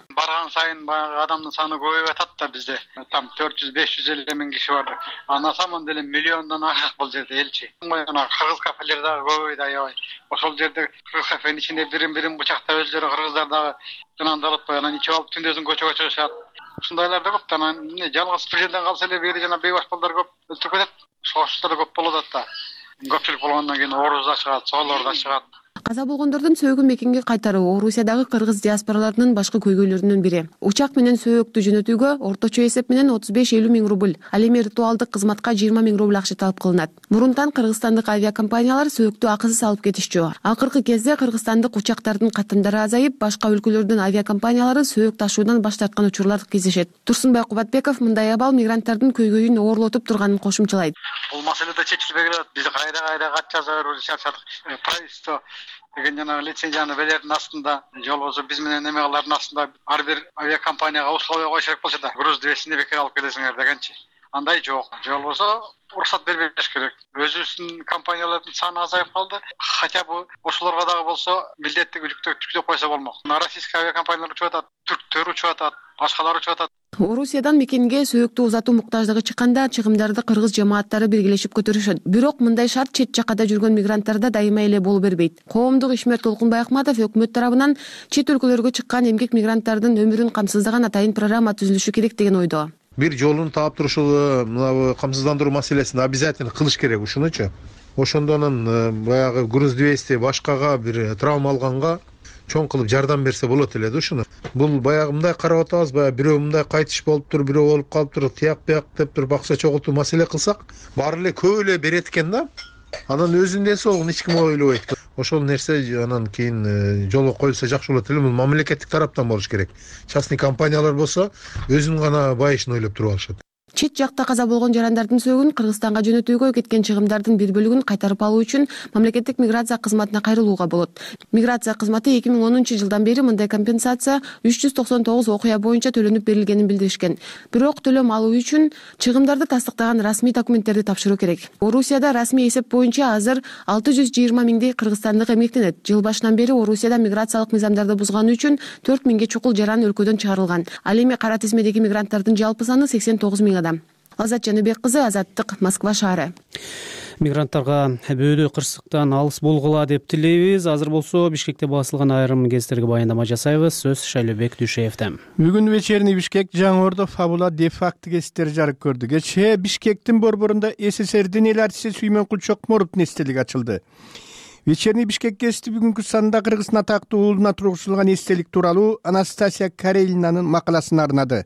Баягы адамдын саны көбөйүп атат да бизде. Там 400-550 миң киши бар. А на самом деле миллиондон ашык бул жерде элчи. Мына кыргыз кафелер дагы көбөйдү аябай. Ошол жерде кыргыз кафенин ичинде бирин бычактап өздөрү кыргыздар дагы жынандалып, анан ичип алып түндөсүн көчөгө чыгышат. Ушундайлар да көп. Анан жалгыз президенттен калса эле бери жана бейбаш балдар көп өлтүрүп кетет. Ошолор да көп болуп атат да. Көпчүлүк болгондон кийин ооруз да чыгат, соолор да чыгат. Каза болгондордун сөөгүн мекенге кайтаруу Орусиядагы кыргыз диаспораларынын башкы көйгөйлөрүнүн бири. Учак менен сөөктү жөнөтүүгө орточо эсеп менен 35-50 миң рубль, ал эми ритуалдык кызматка 20 миң рубль акча талап кылынат. Мурунтан кыргызстандык авиакомпаниялар сөөктү акысыз алып кетишчү. Акыркы кезде кыргызстандык учактардын катымдары азайып, башка өлкөлөрдүн авиакомпаниялары сөөк ташуудан баш тарткан учурлар кездешет. Турсунбай Кубатбеков мындай абал мигранттардын көйгөйүн оорлотуп турганын кошумчалайт. Бул маселе да чечилбей келет. Биз кайда кат жаза беребиз, чарчадык. Правительство деген жана лицензияны берердин астында, же болбосо биз менен эме кылардын астында ар бир авиакомпанияга условия коюш керек болчу да. Груз двесини бекер алып келесиңер дегенчи. андай жок. Же болбосо уруксат бербеш керек. Өзүбүздүн компаниялардын саны азайып калды. Хотя бы ошолорго дагы болсо милдеттүү жүктөп койсо болмок. Российский авиакомпаниялар учуп атат, түрктөр учуп атат, башкалар учуп атат. Орусиядан мекенге сөөктү узатуу муктаждыгы чыкканда чыгымдарды кыргыз жамааттары биргелешип көтөрүшөт. Бирок мындай шарт чет жаккада жүргөн мигранттарда дайыма эле боло бербейт. Коомдук ишмер Толкунбай Акматов өкмөт тарабынан чет өлкөлөргө чыккан эмгек мигранттардын өмүрүн камсыздаган атайын программа түзүлүшү керек деген ойдо. Бир жолун таап турушул мына камсыздандыруу маселесин обязательно кылыш керек ушунучу. Ошондо анан баягы груз 200 башкага бир травма алганга чоң кылып жардам берсе болот эле да ушуну. Бул баягы мындай карап атабыз, баягы бирөө мындай кайтыш болуптур, бирөө болуп калыптыр, тияк бияк деп туруп акча чогултуу маселе кылсак, баары эле көп эле берет экен да. Анан өзүнүн ден соолугун эч ким ойлобойт. Ошол нерсе анан кийин жолго коюлса жакшы болот эле. Бул мамлекеттик тараптан болуш керек. Частный компаниялар болсо өзүнүн гана байышын ойлоп туруп алышат. Чет жакта каза болгон жарандардын сөөгүн Кыргызстанга жөнөтүүгө кеткен чыгымдардын бир бөлүгүн кайтарып алуу үчүн мамлекеттик миграция кызматына кайрылууга болот. Миграция кызматы 2010-жылдан бери мындай компенсация 399 окуя боюнча төлөнүп берилгенин билдиришкен. Бирок төлөм алуу үчүн чыгымдарды тастыктаган расмий документтерди тапшыруу керек. Орусияда расмий эсеп боюнча азыр 620 миңдей кыргызстандык эмгектенет. Жыл башынан бери Орусияда миграциялык мыйзамдарды бузганы үчүн 4 миңге чукул жаран өлкөдөн чыгарылган. Ал эми кара тизмедеги мигранттардын жалпы саны 89 миң адам. Азат Жаныбек кызы, Азаттык, Москва шаары. Мигранттарга бөөдө кырсыктан алыс болгула деп тилейбиз. Азыр болсо Бишкекте басылган айрым гезиттерге баяндама жасайбыз. Сөз Шайлообек Дүйшеевден. Бүгүн вечерний Бишкек Жаңы-Ордо фабула де-факто гезиттери жарык көрдү. Кечээ Бишкектин борборунда СССРдин эл артисти Сүймөнкул Чокморовдун эстелиги ачылды. Вечерний Бишкек гезити бүгүнкү санында Кыргыздын атактуу уулуна тургузулган эстелик тууралуу Анастасия Карелинанын макаласын арнады.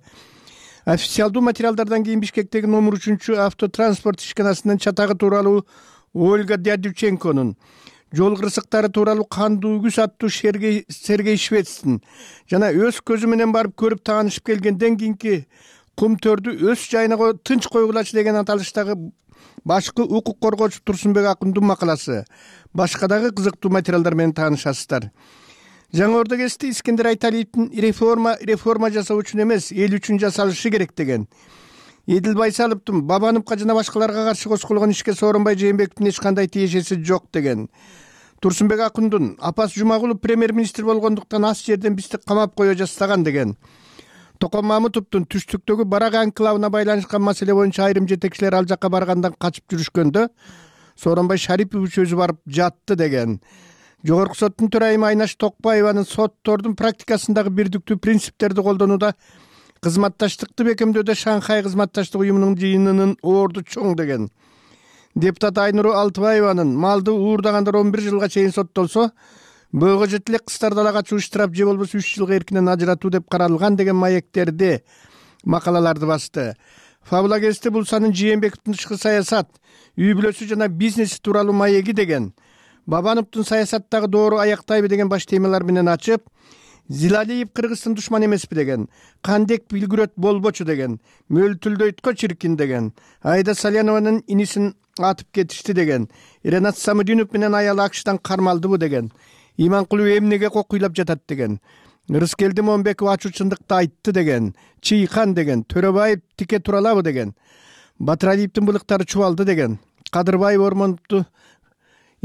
Официалдуу материалдардан кийин Бишкектеги номер 3 автотранспорт ишканасынын чатагы тууралуу Ольга Дядюченконун, жол кырсыктары тууралуу Кандуу үгүз аттуу Сергей Швецтин жана өз көзү менен барып көрүп таанышып келгенден кийинки кум төрдү өз жайына тынч койгулачы деген аталыштагы башкы укук коргоочу Турсунбек Акундун макаласы. Башка дагы кызыктуу материалдар менен таанышасыздар. Жаңы-Ордо гезити Искендер Айталиевдин реформа жасоо үчүн эмес, эл үчүн жасалышы керек деген. Эдил Байсаловдун Бабановго жана башкаларга каршы козголгон ишке Сооронбай Жээнбековдун эч кандай тиешеси жок деген. Турсунбек Акундун Апас Жумагулов премьер-министр болгондуктан ас жерден бизди камап кое жаздаган деген. Токон Мамытовдун түштүктөгү Барак анклавына байланышкан маселе боюнча айрым жетекчилер ал жакка баргандан качып жүрүшкөндө Сооронбай Шарипович өзү барып жатты деген. Жогорку соттун төрайымы Айнаш Токпаеванын соттордун практикасындагы бирдиктүү принциптерди колдонууда кызматташтыкты бекемдөөдө Шанхай кызматташтык уюмунун жыйынынын орду чоң деген. Депутат Айнуру Алтыбаеванын малды уурдагандар 11 жылга чейин соттолсо, бөөгө жете элек кыздар далага чыгуу штраф же болбосо 3 жылга эркинен ажыратуу деп каралган деген маектерди макалаларды басты. Фабула гезити бул санын Жээнбековдун тышкы саясат, үй бүлөсү жана бизнеси тууралуу маеги деген. Бабановдун саясаттагы доору аяктайбы деген баш темалар менен ачып, Зилалиев Кыргыздын душман эмеспи деген, Кандек билгүрөт болбочу деген, Мөлтүлдөйткө чиркин деген, Айда Салянованын инисин атып кетишти деген, Ренат Самудинов менен аялы Акштан кармалдыбы деген, Иманкулов эмнеге кокуйлап жатат деген, Рыскелди Момбеков ачуу чындыкты айтты деген, Чыйкан деген, Төрөбаев тике туралабы деген, Батыралиевдин былыктары чубалды деген, Кадырбаев Ормоновду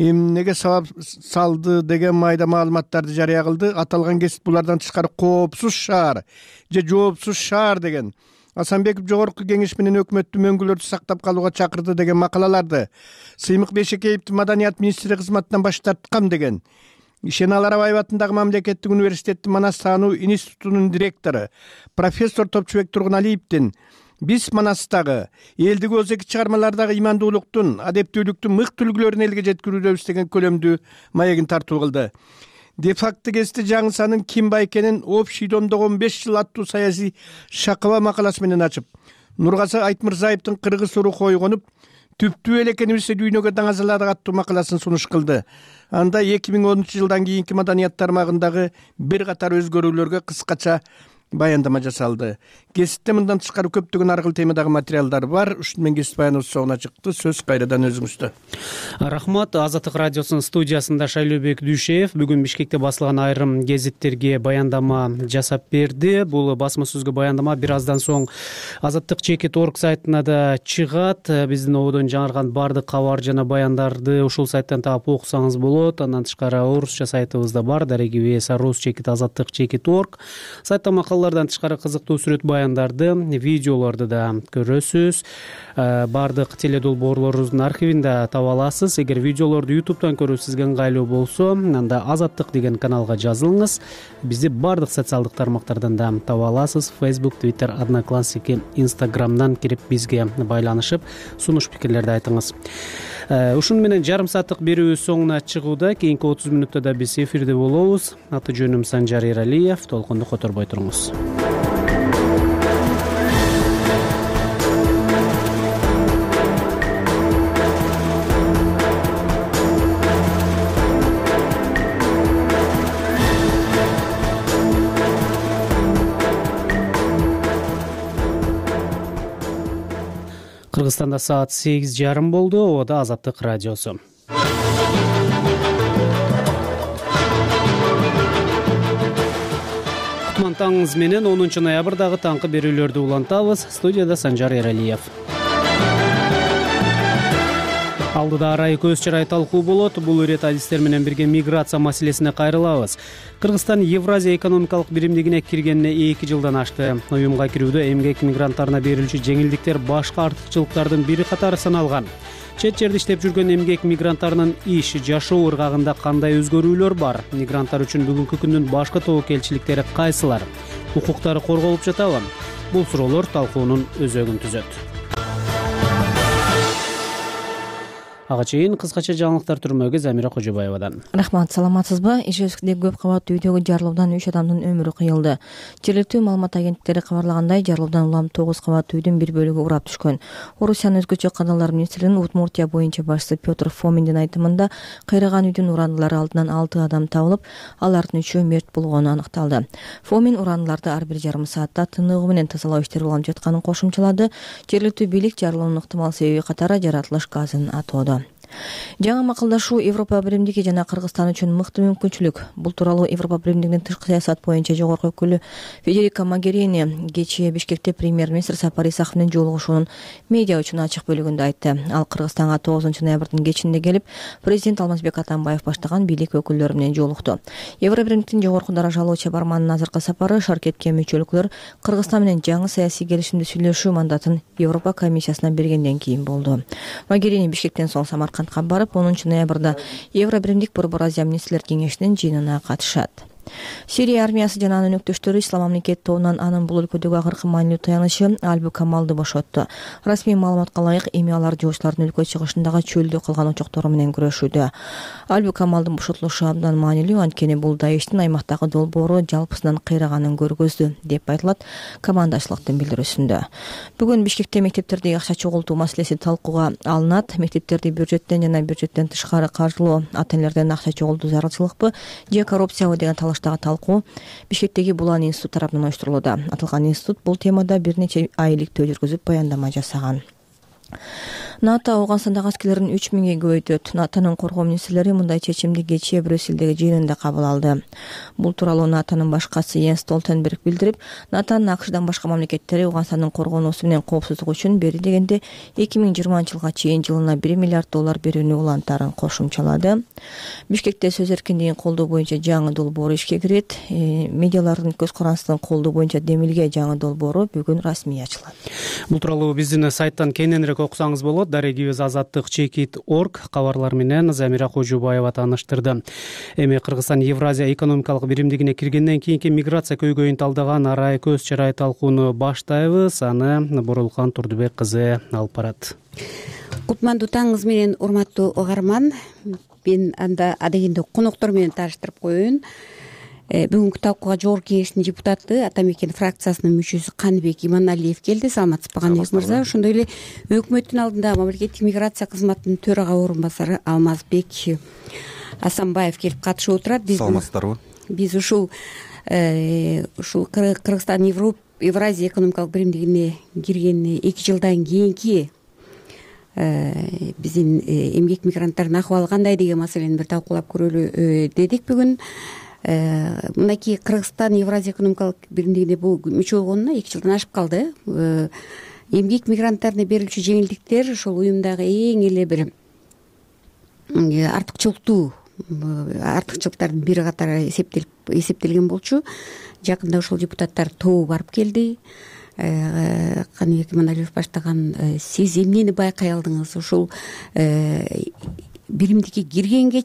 эмнеге сабап салды деген майда маалыматтарды жарыя кылды. Аталган гезит булардан тышкары коопсуз шаар же жоопсуз шаар деген. Асанбеков жогорку кеңеш менен өкмөттүн мөңгүлөрдү сактап калууга чакырды деген макалаларды. Сыймык Бешекеевди маданият министри кызматынан баш тарткам деген. Ишеналы Арабаев атындагы мамлекеттик университеттин Манас таануу институтунун директору профессор Топчубек Тургуналиевдин биз Манастагы элдиги өзеки чыгармалардагы имандуулуктун, адептүүлүктүн мыкты үлгүлөрүн элге жеткирүүбүз деген көлөмдүү маегин тартуу кылды. Де-факто гезити жаңы санын ким байкенин общий домдогу 15 жыл аттуу саясий шакыба макаласы менен ачып, Нургазы Айтмырзаевдин кыргыз уру койгонуп, түптүү эле экенибизди дүйнөгө даңазаладык аттуу макаласын сунуш кылды. Анда 2010 жылдан кийинки маданият тармагындагы бир катар өзгөрүүлөргө кыскача баяндама жасалды. Кесипте мындан тышкары көптөгөн ар кыл темадагы материалдар бар. Ушуну менен кесип баяныбыз соңуна чыкты. Сөз кайрадан өзүңүздө. Рахмат. Азаттык радиосунун студиясында Шайлообек Дүйшеев бүгүн Бишкекте басылган айрым гезиттерге баяндама жасап берди. Бул басма сөзгө баяндама бир аздан соң Азаттык.org сайтына да чыгат. Биздин ободон жаңырган бардык кабар жана баяндарды ушул сайттан таап окусаңыз болот. Андан тышкары орусча сайтыбызда бар. Rus.Azattyk.org сайтта макалалардан тышкары кызыктуу сүрөт баяндарды, видеолорду да көрөсүз. Бардык теледолбоорлорубуздун архивинде таба аласыз. Эгер видеолорду YouTube'дан көрүү сизге ыңгайлуу болсо, анда Азаттык деген каналга жазылыңыз. Бизди бардык социалдык тармактардан да таба аласыз. Facebook, Twitter, Одноклассники, Instagram'дан кирип бизге байланышып, сунуш пикирлерди айтыңыз. Ушуну менен жарым сааттык берүүбүз соңуна чыгууда. Кийинки 30 мүнөттө да биз эфирде болобуз. Аты жөнүм Санжар Эралиев. Толкунду которбой туруңуз. Кыргызстанда саат 8:30 болду. Ободо Азаттык радиосу. Кутман таңыңыз менен 10 ноябрдагы таңкы берүүлөрдү улантабыз. Студияда Санжар Эралиев. Алдыда арай көз чырай талкуу болот. Бул ирет адистер менен бирге миграция маселесине кайрылабыз. Кыргызстан Евразия экономикалык биримдигине киргенине 2 жылдан ашты. Уюмга кирүүдө эмгек мигранттарына берилчү жеңилдиктер башка артыкчылыктардын бири катары саналган. Чет жерде иштеп жүргөн эмгек мигранттарынын иш, жашоо ыргагында кандай өзгөрүүлөр бар? Мигранттар үчүн бүгүнкү күндүн башкы тобокелчиликтери кайсылар? Укуктары корголуп жатабы? Бул суроолор талкуунун өзөгүн түзөт. Ага чейин кыскача жаңылыктар түрмөгө Замира Кожобаевадан. Рахмат, саламатсызбы? Ижевскидеги көп кабаттуу үйдөгү жарылуудан 3 адамдын өмүрү кыйылды. Жергиликтүү маалымат агенттиктери кабарлагандай, жарылуудан улам 9 кабаттуу үйдүн бир бөлүгү урап түшкөн. Орусиянын өзгөчө кадалар министринин Удмуртия боюнча башчысы Петр Фоминдин айтымында, кыйраган үйдүн урандылары алдынан 6 адам табылып, алардын 3-өө мерт болгону аныкталды. Фомин урандыларды ар бир жарым саатта тыныгуу менен тазалоо иштери уланып жатканын кошумчалады. Жергиликтүү бийлик жарылуунун ыктымал себеби катары жаратылыш газын атоодо. Жаңы макулдашуу Европа биримдиги жана Кыргызстан үчүн мыкты мүмкүнчүлүк. Бул тууралуу Европа биримдигинин тышкы саясат боюнча жогорку өкүлү Федерика Могерини кечээ Бишкекте премьер-министр Сапар Исаков менен жолугушуунун медиа үчүн ачык бөлүгүндө айтты. Ал Кыргызстанга 9 ноябрдын кечинде келип, президент Алмазбек Атамбаев баштаган бийлик өкүлдөрү менен жолукту. Европа биримдигинин жогорку даражалуу чабарманынын азыркы сапары шаркетке мүчөлүклөр Кыргызстан менен жаңы саясий келишимди сүйлөшүү мандатын Европа комиссиясына бергенден кийин болду. Могерини Бишкектен соң Самаркандка барып, 10 ноябрда Евро биримдик Борбор Азия министрлер кеңешинин жыйынына катышат. Сирия армиясы жана анын өктөштөрү Ислам мамлекети тобунан анын бул өлкөдөгү акыркы маанилүү таянычы Альбу Камалды бошотту. Расмий маалыматка ылайык, эми алар жогучулардын өлкө чыгышындагы чөлдө калган очоктору менен күрөшүүдө. Альбу Камалдын бошотулушу абдан маанилүү, анткени бул Даиштин аймактагы долбоору жалпысынан кыйраганын көргөздү, деп айтылат командачылыктын билдирүүсүндө. Бүгүн Бишкекте мектептердеги акча чогултуу маселеси талкууга алынат. Мектептерди бюджеттен жана бюджеттен тышкары каржылоо, ата-энелерден акча чогултуу зарылчылыкпы же коррупциябы деген талкуу Бишкектеги Булан институт тарабынан уюштурулууда. Аталган институт бул темада бир нече ай иликтөө жүргүзүп баяндама жасаган. НАТО Ауганстандагы аскерлерин 3000ге көбөйтөт. НАТОнун коргоо министрлери мындай чечимди кечээ Брюссельдеги жыйынында кабыл алды. Бул тууралуу НАТОнун башкасы Йенс Столтенберг билдирип, НАТОнун АКШдан башка мамлекеттери Ауганстандын коргоонусу менен коопсуздугу үчүн бери дегенде 2020-жылга чейин жылына $1 миллиард берүүнү улантаарын кошумчалады. Бишкекте сөз эркиндигин колдоо боюнча жаңы долбоор ишке кирет. Медиалардын көз карандысын колдоо боюнча демилге жаңы долбоору бүгүн расмий ачылат. Бул тууралуу биздин сайттан кененирээк окусаңыз болот. Дарегибиз Azattyk.org кабарлар менен Замира Кожобаева тааныштырды. Эми Кыргызстан Евразия экономикалык биримдигине киргенден кийинки миграция көйгөйүн талдаган арай көз чырай талкууну баштайбыз. Аны Борулкан Турдубек кызы алып барат. Кутмандуу таңыңыз менен, урматтуу угарман. Мен анда адегенде коноктор менен тааныштырып коеюн. Бүгүнкү талкууга жогорку кеңештин депутаты, Ата Мекен фракциясынын мүчөсү Каныбек Иманалиев келди. Саламатсызбы Каныбек мырза? Ошондой эле өкмөттүн алдында мамлекеттик миграция кызматынын төрага орун басары Алмазбек Асанбаев келип катышып отурат. Саламатсыздарбы? Биз ушул ушул Кыргызстан Евразия экономикалык биримдигине киргенине 2 жылдан кийинки биздин эмгек мигранттарынын акыбалы кандай деген маселени бир талкуулап көрөлү дедик бүгүн. Мынакей Кыргызстан Евразия экономикалык биримдигине бул мүчө болгонуна 2 жылдан ашып калды. Эмгек мигранттарына берилчү жеңилдиктер ошол уюмдагы эң эле бир артыкчылыктардын бири катары эсептелген болчу. Жакында ошол депутаттар тобу барып келди. Каныбек Иманалиев баштаган. Сиз эмнени байкай алдыңыз ушул биримдикке киргенден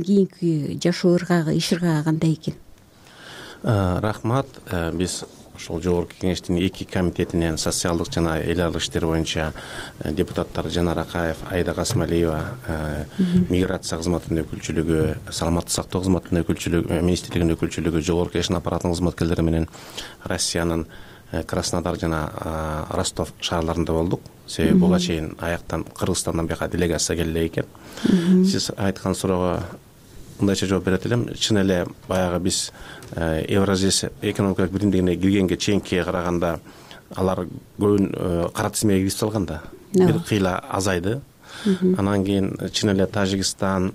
кийинки жашоо ыргагы, иш ыргагы кандай экен? Рахмат. Биз ошол жогорку кеңештин 2 комитетинен социалдык жана эл аралык иштер боюнча депутаттар Жанар Акаев, Айда Касмалиева, миграция кызматынын өкүлчүлүгү, саламаттык сактоо кызматынын өкүлчүлүгү, министрлигинин өкүлчүлүгү, жогорку кеңештин аппаратынын кызматкерлери менен Россиянын Краснодар жана Ростов шаарларында болдук. Себеби буга чейин аяктан Кыргызстандан бияка делегация келе экен. Сиз айткан суроого мындайча жооп берет элем. Чын эле баягы биз Евразия экономикалык биримдигине киргенге чейинкиге караганда алар көбүн кара тизмеге кирип салган да. Бир кыйла азайды. Анан кийин чын эле Тажикстан,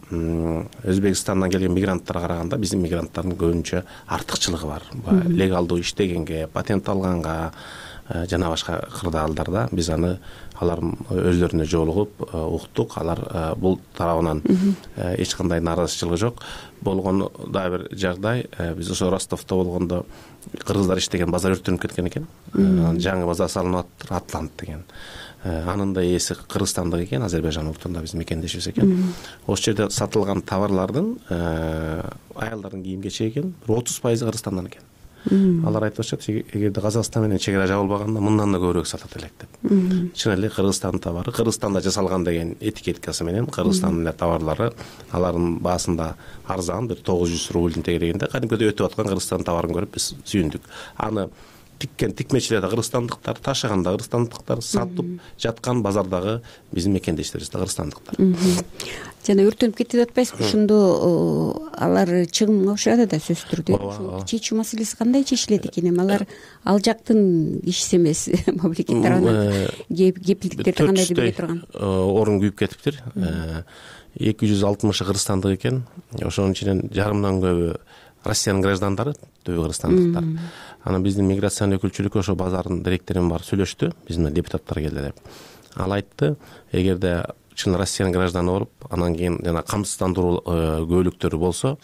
Өзбекстандан келген мигранттарга караганда биздин мигранттардын көбүнчө артыкчылыгы бар. Легалдуу иштегенге, патент алганга жана башка кырдаалдарда биз алардын өздөрүнө жолугуп уктук. Алар бул тарабынан эч кандай нааразычылыгы жок. Болгон дагы бир жагдай, биз ошо Ростовдо болгондо кыргыздар иштеген базар өрттөнүп кеткен экен. Жаңы базар салынып атат, Атлант деген. Анын да ээси кыргызстандык экен, Азербайжан улутунда биз мекендешибиз экен. Ошол жерде сатылган товарлардын аялдардын кийим кечеги экен 30% Кыргызстандан экен. Алар айтып атышат, эгерде Казакстан менен чек ара жабылбаганда мындан да көбүрөөк сатат элек деп. Чын эле Кыргызстандын товары Кыргызстанда жасалган деген этикеткасы менен Кыргызстандын товарлары алардын баасында арзан, бир 900 рубльдин тегерегинде кадимкидей өтүп аткан Кыргызстан товарын көрүп биз сүйүндүк. Аны тиккен тикмечилер да кыргызстандыктар, ташыган да кыргызстандыктар, сатып жаткан базардагы биздин мекендештерибиз да кыргызстандыктар. Жана өртөнүп кетти деп атпайсызбы? Ошондо алар чыгымга учурады да сөзсүз түрдө. Ошол чечүү маселеси кандай чечилет экен? Эми алар ал жактын иши эмес, мамлекет тарабынан кепилдиктерди кандайдыр бере турган? Орун күйүп кетиптир. 260 кыргызстандык экен. Ошонун ичинен жарымдан көбү Россиянын граждандары, түбү кыргызстандыктар. Анан биздин миграциянын өкүлчүлүгү ошо базардын директору барып сүйлөштү, биздин депутаттар келди деп. Ал айтты, эгерде чын Россиянын гражданы болуп, анан кийин жана камсыздандыруу көбөлүктөрү болсо,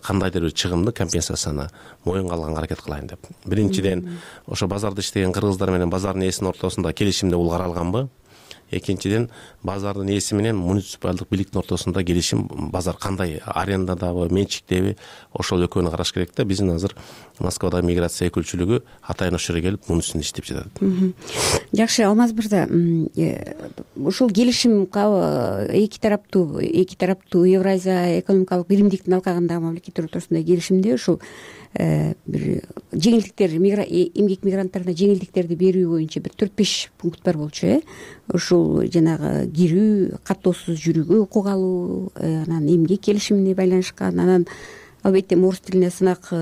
кандайдыр бир чыгымды, компенсацияны моюнга алганга аракет кылайын деп. Биринчиден, ошо базарда иштеген кыргыздар менен базардын ээсинин ортосунда келишимде бул каралганбы? Экинчиден, базардын ээси менен муниципалдык бийликтин ортосунда келишим, базар кандай, арендадабы, менчиктеби, ошол экөөнү караш керек да. Биздин азыр Москвадагы миграция өкүлчүлүгү атайын ошол жерге келип мунусун иштеп жатат. Жакшы, Алмаз мырза, ушул келишим эки тараптуу Евразия экономикалык биримдиктин алкагындагы мамлекеттер ортосунда келишимде ушул бир жеңилдиктер, эмгек мигранттарына жеңилдиктерди берүү боюнча бир 4-5 пункт бар болчу, ушул жанагы кирүү, каттоосуз жүрүүгө укук алуу, анан эмгек келишимине байланышкан, анан албетте орус тилине сынак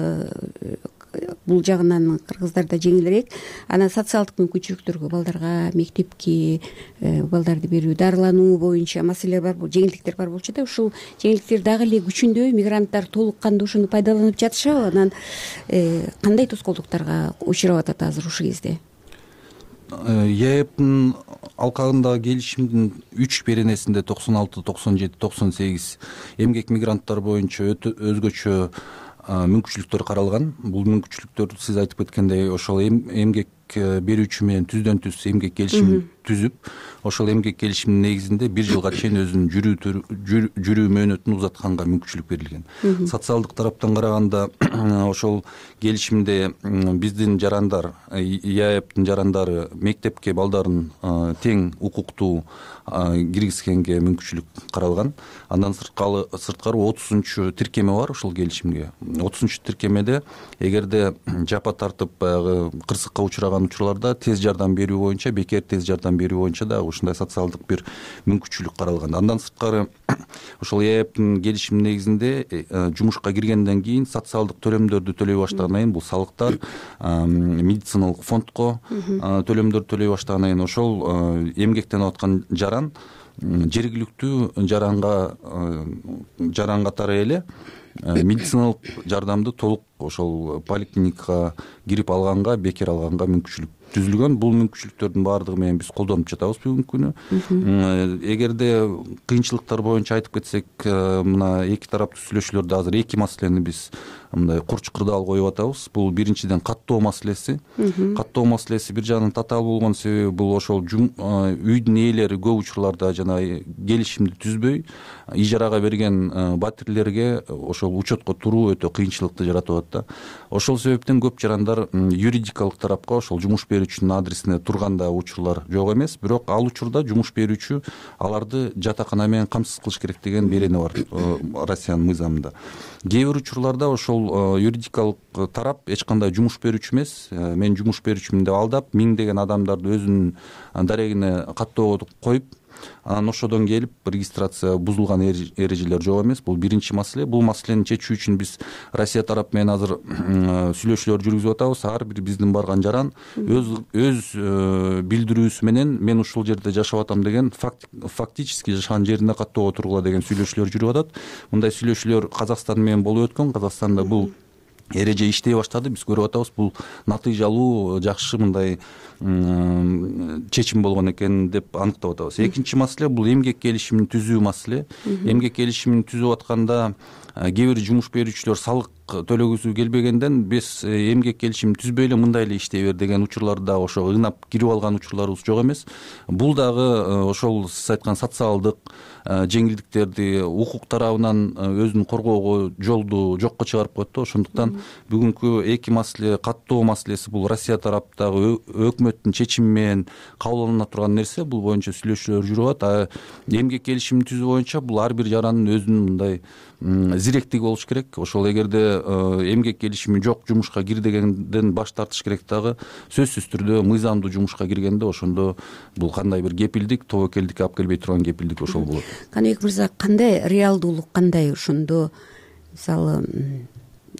бул жагынан кыргыздарда жеңилирээк. Анан социалдык мүмкүнчүлүктөргө, балдарга мектепке балдарды берүү, дарылануу боюнча маселелер бар, бул жеңилдиктер бар болчу да. Ушул жеңилдиктер дагы эле күчүндө, мигранттар толук кандуу ошону пайдаланып жатышабы? Анан кандай тоскоолдуктарга учурап атат азыр ушул кезде? ЕЭПтин алкагындагы келишимдин 3 беренесинде 96, 97, 98 эмгек мигранттар боюнча өзгөчө мүмкүнчүлүктөр каралган. Бул мүмкүнчүлүктөр сиз айтып кеткендей ошол эмгек берүүчү менен түздөн түз эмгек келишимин түзүп, ошол эмгек келишимдин негизинде 1 жылга чейин өзүнүн жүрүү мөөнөтүн узатканга мүмкүнчүлүк берилген. Социалдык тараптан караганда ошол келишимде биздин жарандар, ЕАЭПтин жарандары мектепке балдарын тең укуктуу киргизгенге мүмкүнчүлүк каралган. Андан сырткары 30-чу тиркеме бар ушул келишимге. 30-чу тиркемеде эгерде жапа тартып баягы кырсыкка учураган учурларда тез жардам берүү боюнча, бекер тез жардам жардам берүү боюнча дагы ушундай социалдык бир мүмкүнчүлүк каралган. Андан сырткары ошол ЕЭПтин келишими негизинде жумушка киргенден кийин социалдык төлөмдөрдү төлөй баштагандан кийин, бул салыктар, медициналык фондко төлөмдөрдү төлөй баштагандан кийин ошол эмгектенип аткан жаран жергиликтүү жаран катары эле медициналык жардамды толук ошол поликлиникага кирип алганга, бекер алганга мүмкүнчүлүк түзүлгөн. Бул мүмкүнчүлүктөрдүн баардыгы менен биз колдонуп жатабыз бүгүнкү күнү. Эгерде кыйынчылыктар боюнча айтып кетсек, мына эки тараптуу сүйлөшүүлөрдө азыр эки маселени биз мындай курч кырдаал коюп атабыз. Бул биринчиден каттоо маселеси. Каттоо маселеси бир жагынан татаал болгон себеби бул ошол үйдүн ээлери көп учурларда жанагы келишимди түзбөй ижарага берген батирлерге ошол учетко туруу өтө кыйынчылыкты жаратып атат да. Ошол себептен көп жарандар юридикалык тарапка ошол жумуш берүүчүнүн адресине турганда учурлар жок эмес, бирок ал учурда жумуш берүүчү аларды жатакана менен камсыз кылыш керек деген берени бар Россиянын мыйзамында. Кээ бир учурларда ошол юридикалык тарап эч кандай жумуш берүүчү эмес, мен жумуш берүүчүмүн деп алдап, миңдеген адамдарды өзүнүн дарегине каттоого коюп, анан ошодон келип регистрация бузулган эрежелер жок эмес. Бул биринчи маселе. Бул маселени чечүү үчүн биз Россия тарапы менен азыр сүйлөшүүлөр жүргүзүп атабыз. Ар бир биздин барган жаран өз билдирүүсү менен мен ушул жерде жашап атам деген фактически жашаган жерине каттоого тургула деген сүйлөшүүлөр жүрүп атат. Мындай сүйлөшүүлөр Казакстан менен болуп өткөн. Казакстанда бул эреже иштей баштады. Биз көрүп атабыз, бул натыйжалуу, жакшы мындай чечим болгон экен деп аныктап атабыз. Экинчи маселе бул эмгек келишимин түзүү маселе. Эмгек келишимин түзүп атканда кээ бир жумуш берүүчүлөр салык төлөгүсү келбегенден биз эмгек келишимин түзбөй эле мындай эле иштей бер деген учурларда ошо ынап кирип алган учурларыбыз жок эмес. Бул дагы ошол сиз айткан социалдык жеңилдиктерди укук тарабынан өзүн коргоого жолду жокко чыгарып коет да. Ошондуктан бүгүнкү эки маселе, каттоо маселеси бул Россия тараптагы өкмөттүн чечими менен кабыл алына турган нерсе. Бул боюнча сүйлөшүүлөр жүрүп атат. Эмгек келишимин түзүү боюнча бул ар бир жарандын өзүнүн мындай зиректиги болуш керек. Ошол эгерде эмгек келишими жок жумушка кир дегенден баш тартыш керек дагы. Сөзсүз түрдө мыйзамдуу жумушка киргенде ошондо бул кандай бир кепилдик, тобокелдикке алып келбей турган кепилдик ошол болот. Каныбек мырза, кандай реалдуулук, кандай ошондо мисалы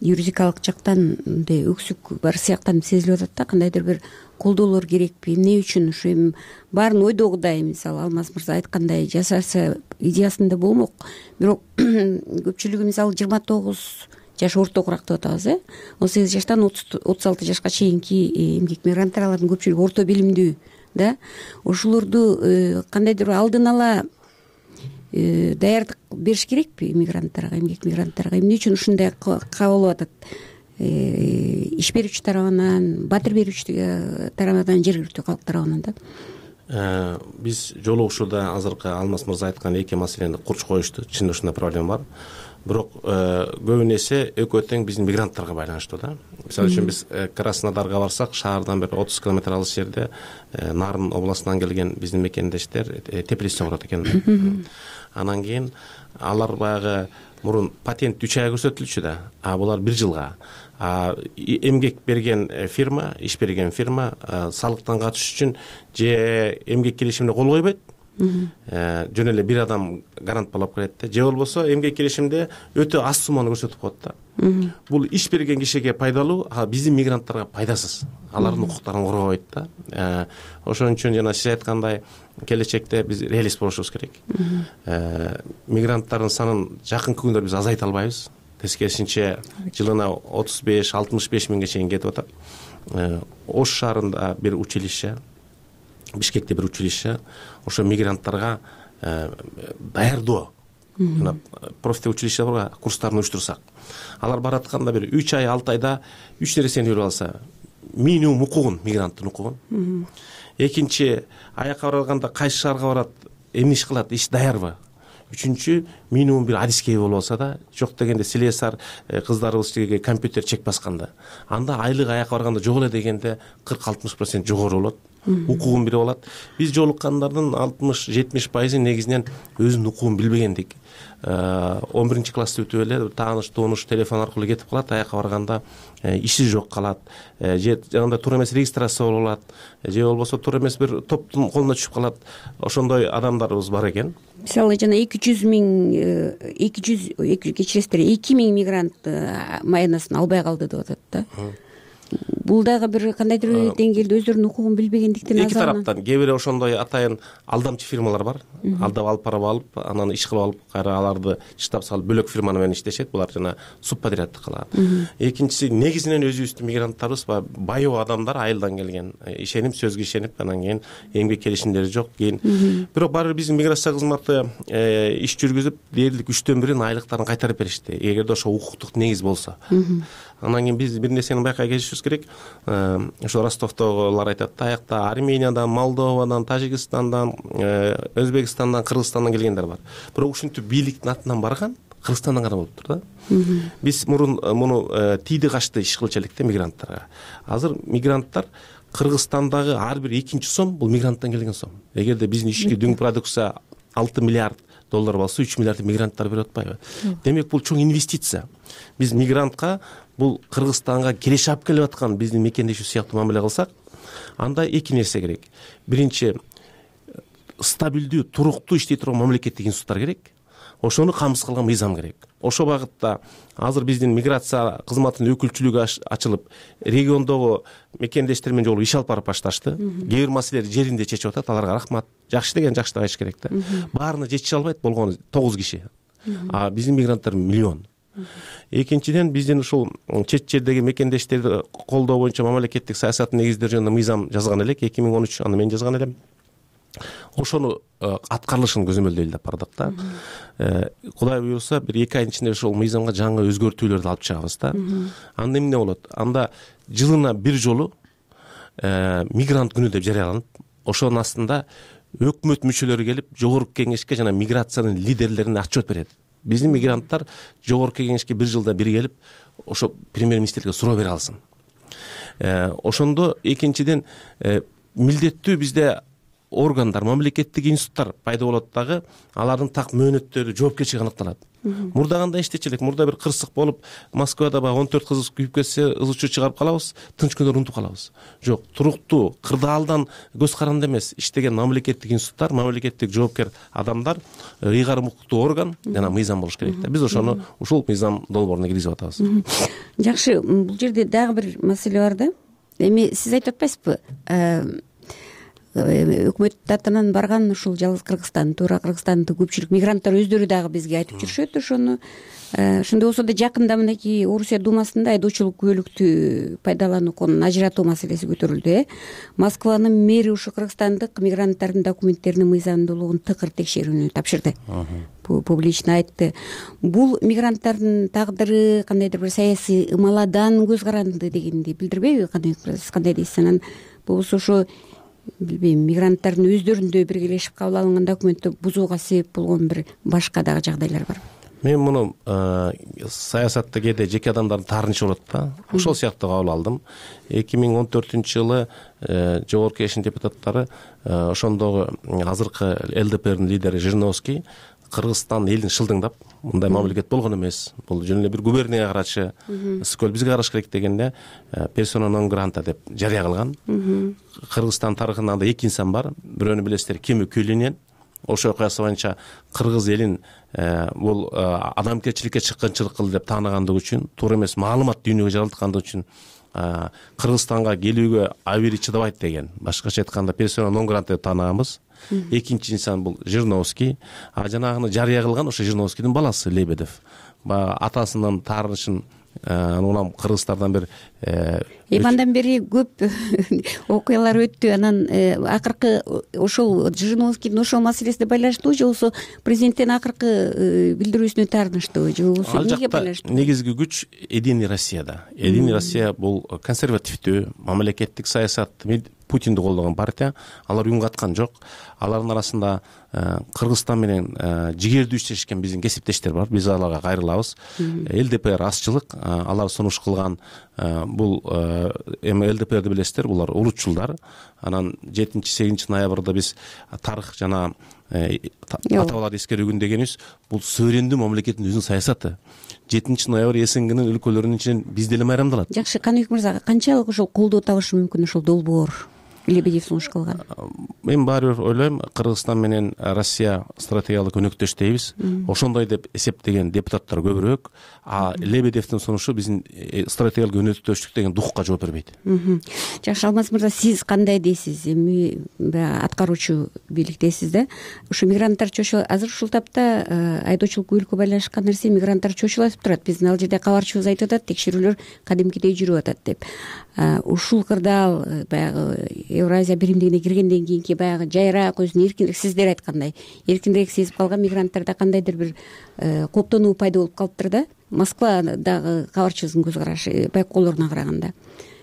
юридикалык жактан мындай өксүк бар сыяктан сезилип атат да, кандайдыр бир колдоолор керекпи, эмне үчүн ушу эми баарын ойдогудай мисалы Алмаз мырза айткандай жасаса идеясында болмок, бирок көпчүлүгү мисалы 29 жаш ортогураак деп атабыз, 18 жаштан 36 жашка чейинки эмгек мигранттарын көпчүлүгү орто билимдүү да. Ошолорду кандайдыр алдын ала даярдык бериш керекпи мигранттарга, эмгек мигранттарга? Эмне үчүн ушундай кабыл алып атат иш берүүчү тарабынан, батир берүүчү тарабынан, жергиликтүү калк тарабынан да? Биз жолугушууда азыркы Алмаз мырза айткан эки маселени курч коюшту. Чын ушундай проблема бар. Бирок көбүн эсе экөө тең биздин мигранттарга байланыштуу да. Мисалы үчүн биз Краснодарга барсак, шаардан бир 30 километр алыс жерде Нарын областынан келген биздин мекендештер Теплицте турат экен. Анан кийин алар баягы мурун патент 3 ай көрсөтүлчү да, булар 1 жылга. Эмгек берген фирма, иш берген фирма салыктан качыш үчүн же эмгек келишимине кол койбойт, жөн эле бир адам гарант болуп келет да, же болбосо эмгек келишимде өтө аз сумманы көрсөтүп коет да. Бул иш берген кишиге пайдалуу, биздин мигранттарга пайдасыз. Алардын укуктарын коргобойт да. Ошон үчүн жана сиз айткандай келечекте биз реалист болушубуз керек. Мигранттардын санын жакынкы күндөрдө биз азайта албайбыз. Тескерисинче жылына 35-65 миңге чейин кетип атат. Ош шаарында бир училище, Бишкекте бир училище ошо мигранттарга даярдоо, жана профтеучилище бар, курстарын уюштурсак, алар баратканда бир 3 ай, 6 айда 3 нерсени үйрөнүп алса, минимум укугун, мигранттын укугун. Экинчи, аякка барганда кайсы шаарга барат, эмне иш кылат, иш даярбы? Үчүнчү, минимум бир адискей болуп алса да, жок дегенде слесарь кыздарыбыз тиги компьютер чек басканда, анда айлык аякка барганда жок эле дегенде 40-60% жогору болот. укугун билип алат. Биз жолуккандардын 60-70% негизинен өзүнүн укугун билбегендик. 11-классты бүтүп эле тааныш тууныш телефон аркылуу кетип калат, аяка барганда иши жок калат, же жанагындай туура эмес регистрация болуп алат, же болбосо туура эмес бир топтун колуна түшүп калат. Ошондой адамдарыбыз бар экен. Мисалы жана 200 000 мигрант маянасын албай калды деп атат да. Бул дагы бир кандайдыр деңгээлде өздөрүнүн укугун билбегендиктен эки тараптан кээ бир ошондой атайын алдамчы фирмалар бар. Алдап алып барып алып, анан иш кылып алып, кайра аларды штаб салып бөлөк фирма менен иштешет. Булар жана субподряддык кылат. Экинчиси негизинен өзүбүздүн мигранттарыбыз байоо адамдар, айылдан келген. Ишенип, сөзгө ишенип, анан кийин эмгек келишимдери жок. Кийин бирок баары бир биздин миграция кызматы иш жүргүзүп, дээрлик 3/4 айлыктарын кайтарып беришти. Эгерде ошо укуктук негиз болсо. Анан кийин биз бир нерсени байкай кетишибиз керек. Ошо Ростовдогулар айтат да, аякта Армениядан, Молдовадан, Тажикстандан, Өзбекстандан, Кыргызстандан келгендер бар. Бирок ушинтип бийликтин атынан барган Кыргызстандан гана болуптур да. Биз мурун муну тийди качты иш кылчу элек да мигранттарга. Азыр мигранттар Кыргызстандагы ар бир экинчи сом бул мигранттан келген сом. Эгерде биздин ички дүң продукция 6 миллиард доллар болсо, 3 миллиард мигранттар берип атпайбы? Демек бул чоң инвестиция. Биз мигрантка бул Кыргызстанга келише алып келип аткан биздин мекендешүү сыяктуу мамиле кылсак, анда эки нерсе керек. Биринчи, стабилдүү, туруктуу иштей турган мамлекеттик институттар керек. Ошону камсыз кылган мыйзам керек. Ошол багытта азыр биздин миграция кызматынын өкүлчүлүгү ачылып, региондогу мекендештер менен жолугуп иш алып барып башташты. Кээ бир маселелерди жеринде чечип атат, аларга рахмат. Жакшы деген жакшы деп айтыш керек да. Баарына жетише албайт, болгону 9 киши. А биздин мигранттар миллион. Экинчиден, биздин ушул чет жердеги мекендештерди колдоо боюнча мамлекеттик саясаттын негиздери жөнүндө мыйзам жазган элек, 2013, аны мен жазган элем. Ошону аткарылышын көзөмөлдөйлү деп бардык да. Кудай буйруса, бир 2 айдын ичинде ошол мыйзамга жаңы өзгөртүүлөрдү алып чыгабыз да. Анда эмне болот? Анда жылына бир жолу мигрант күнү деп жарыяланып, ошонун астында өкмөт мүчөлөрү келип, жогорку кеңешке жана миграциянын лидерлерине отчет берет. Биздин мигранттар жогорку кеңешке бир жылда бир келип, ошо премьер-министрге суроо бере алсын. Ошондо экинчиден милдеттүү бизде органдар, мамлекеттик институттар пайда болот дагы, алардын так мөөнөттөрү, жоопкерчилиги аныкталат. Мурда кандай иштечү элек? Мурда бир кырсык болуп, Москвада баягы 14 кыз күйүп кетсе, ызычуу чыгарып калабыз, тынч күндөрү унутуп калабыз. Жок, туруктуу, кырдаалдан көз каранды эмес иштеген мамлекеттик институттар, мамлекеттик жоопкер адамдар, ыйгарым укуктуу орган жана мыйзам болуш керек да. Биз ошону ушул мыйзам долбооруна киргизип атабыз. Жакшы, бул жерде дагы бир маселе бар да. Эми сиз айтып атпайсызбы? Өкмөт атынан барган ушул жалгыз Кыргызстан, туура Кыргызстандын көпчүлүк мигранттар өздөрү дагы бизге айтып жүрүшөт ошону. Ошондой болсо да жакында мынакей Орусия думасында айдоочулук күбөлүктү пайдалануу конун ажыратуу маселеси көтөрүлдү. Москванын мэри ушу кыргызстандык мигранттардын документтеринин мыйзамдуулугун тыкыр текшерүүнү тапшырды. Публично айтты. Бул мигранттардын тагдыры кандайдыр бир саясий ымаладан көз каранды дегенди билдирбейби? Кандай дейсиз? Анан болбосо ошо билбейм, мигранттардын өздөрүндө биргелешип кабыл алынган документти бузууга себеп болгон бир башка дагы жагдайлар бар. Мен муну саясатта кээде жеке адамдардын таарынычы болот да. Ошол сыяктуу кабыл алдым. 2014-жылы жогорку кеңештин депутаттары ошондогу азыркы ЛДПрдин лидери Жириновский Кыргызстан элин шылдыңдап, мындай мамлекет болгон эмес. Бул жөн эле бир губернияга карачы, ысык көл бизге караш керек дегенде персона нон гранта деп жарыя кылган. Кыргызстан тарыхында анда 2 инсан бар. Бирөөнү билесиздер, Кеми Көлүнен. Ошол окуясы боюнча кыргыз элин бул адамгерчиликке чыккынчылык кылды деп таанагандыгы үчүн, туура эмес маалымат дүйнөгө жаралткандыгы үчүн Кыргызстанга келүүгө абийири чыдабайт деген. Башкача айтканда персона нон гранта деп таанаганбыз. Экинчи инсан бул Жириновский, а жанагыны жарыя кылган ошо Жириновскийдин баласы Лебедев. Атасынын таарынычын улам кыргыздардан бир андан бери көп окуялар өттү. Анан акыркы ошол Жириновскийдин ошол маселесине байланыштуу же болбосо президенттин акыркы билдирүүсүнө таарынычтуу же болбосо эмнеге байланыштуу? Негизги күч Единый Россияда. Единый Россия бул консервативдүү мамлекеттик саясатты Путинди колдогон партия. Алар уюм каткан жок. Алардын арасында Кыргызстан менен жигердүү иштешкен биздин кесиптештер бар. Биз аларга кайрылабыз. ЛДПр азчылык, алар сунуш кылган бул эми ЛДПрди билесиздер, булар улутчулдар. Анан 7-8 ноябрда биз тарых жана ата бабаларды эскерүү күнү дегенибиз бул суверендүү мамлекеттин өзүнүн саясаты. 7 ноябрь СНГнын өлкөлөрүнүн ичинен биз деле майрамдалат. Жакшы, Каныбек мырза, канчалык ошол колдоо табышы мүмкүн ошол долбоор Лебедев сунуш кылган? Мен баары бир ойлойм, Кыргызстан менен Россия стратегиялык өнөктөш дейбиз. Ошондой деп эсептеген депутаттар көбүрөөк, а Лебедевдин сунушу биздин стратегиялык өнөктөштүк деген духка жооп бербейт. Жакшы, Алмаз мырза, сиз кандай дейсиз? Эми аткаруучу бийликтесиз да. Ушу мигранттар чочулат. Азыр ушул тапта айдоочулук өлкө байланышкан нерсе, мигранттар чочулатып турат. Биздин ал жерде кабарчыбыз айтып атат, текшерүүлөр кадимкидей жүрүп атат деп. Ушул кырдаал баягы Евразия биримдигине киргенден кийинки баягы жайраак, өзүн эркинирээк, сиздер айткандай эркинирээк сезип калган мигранттарда кандайдыр бир кооптонуу пайда болуп калыптыр да. Москвадагы кабарчыбыздын көз карашы байкоолоруна караганда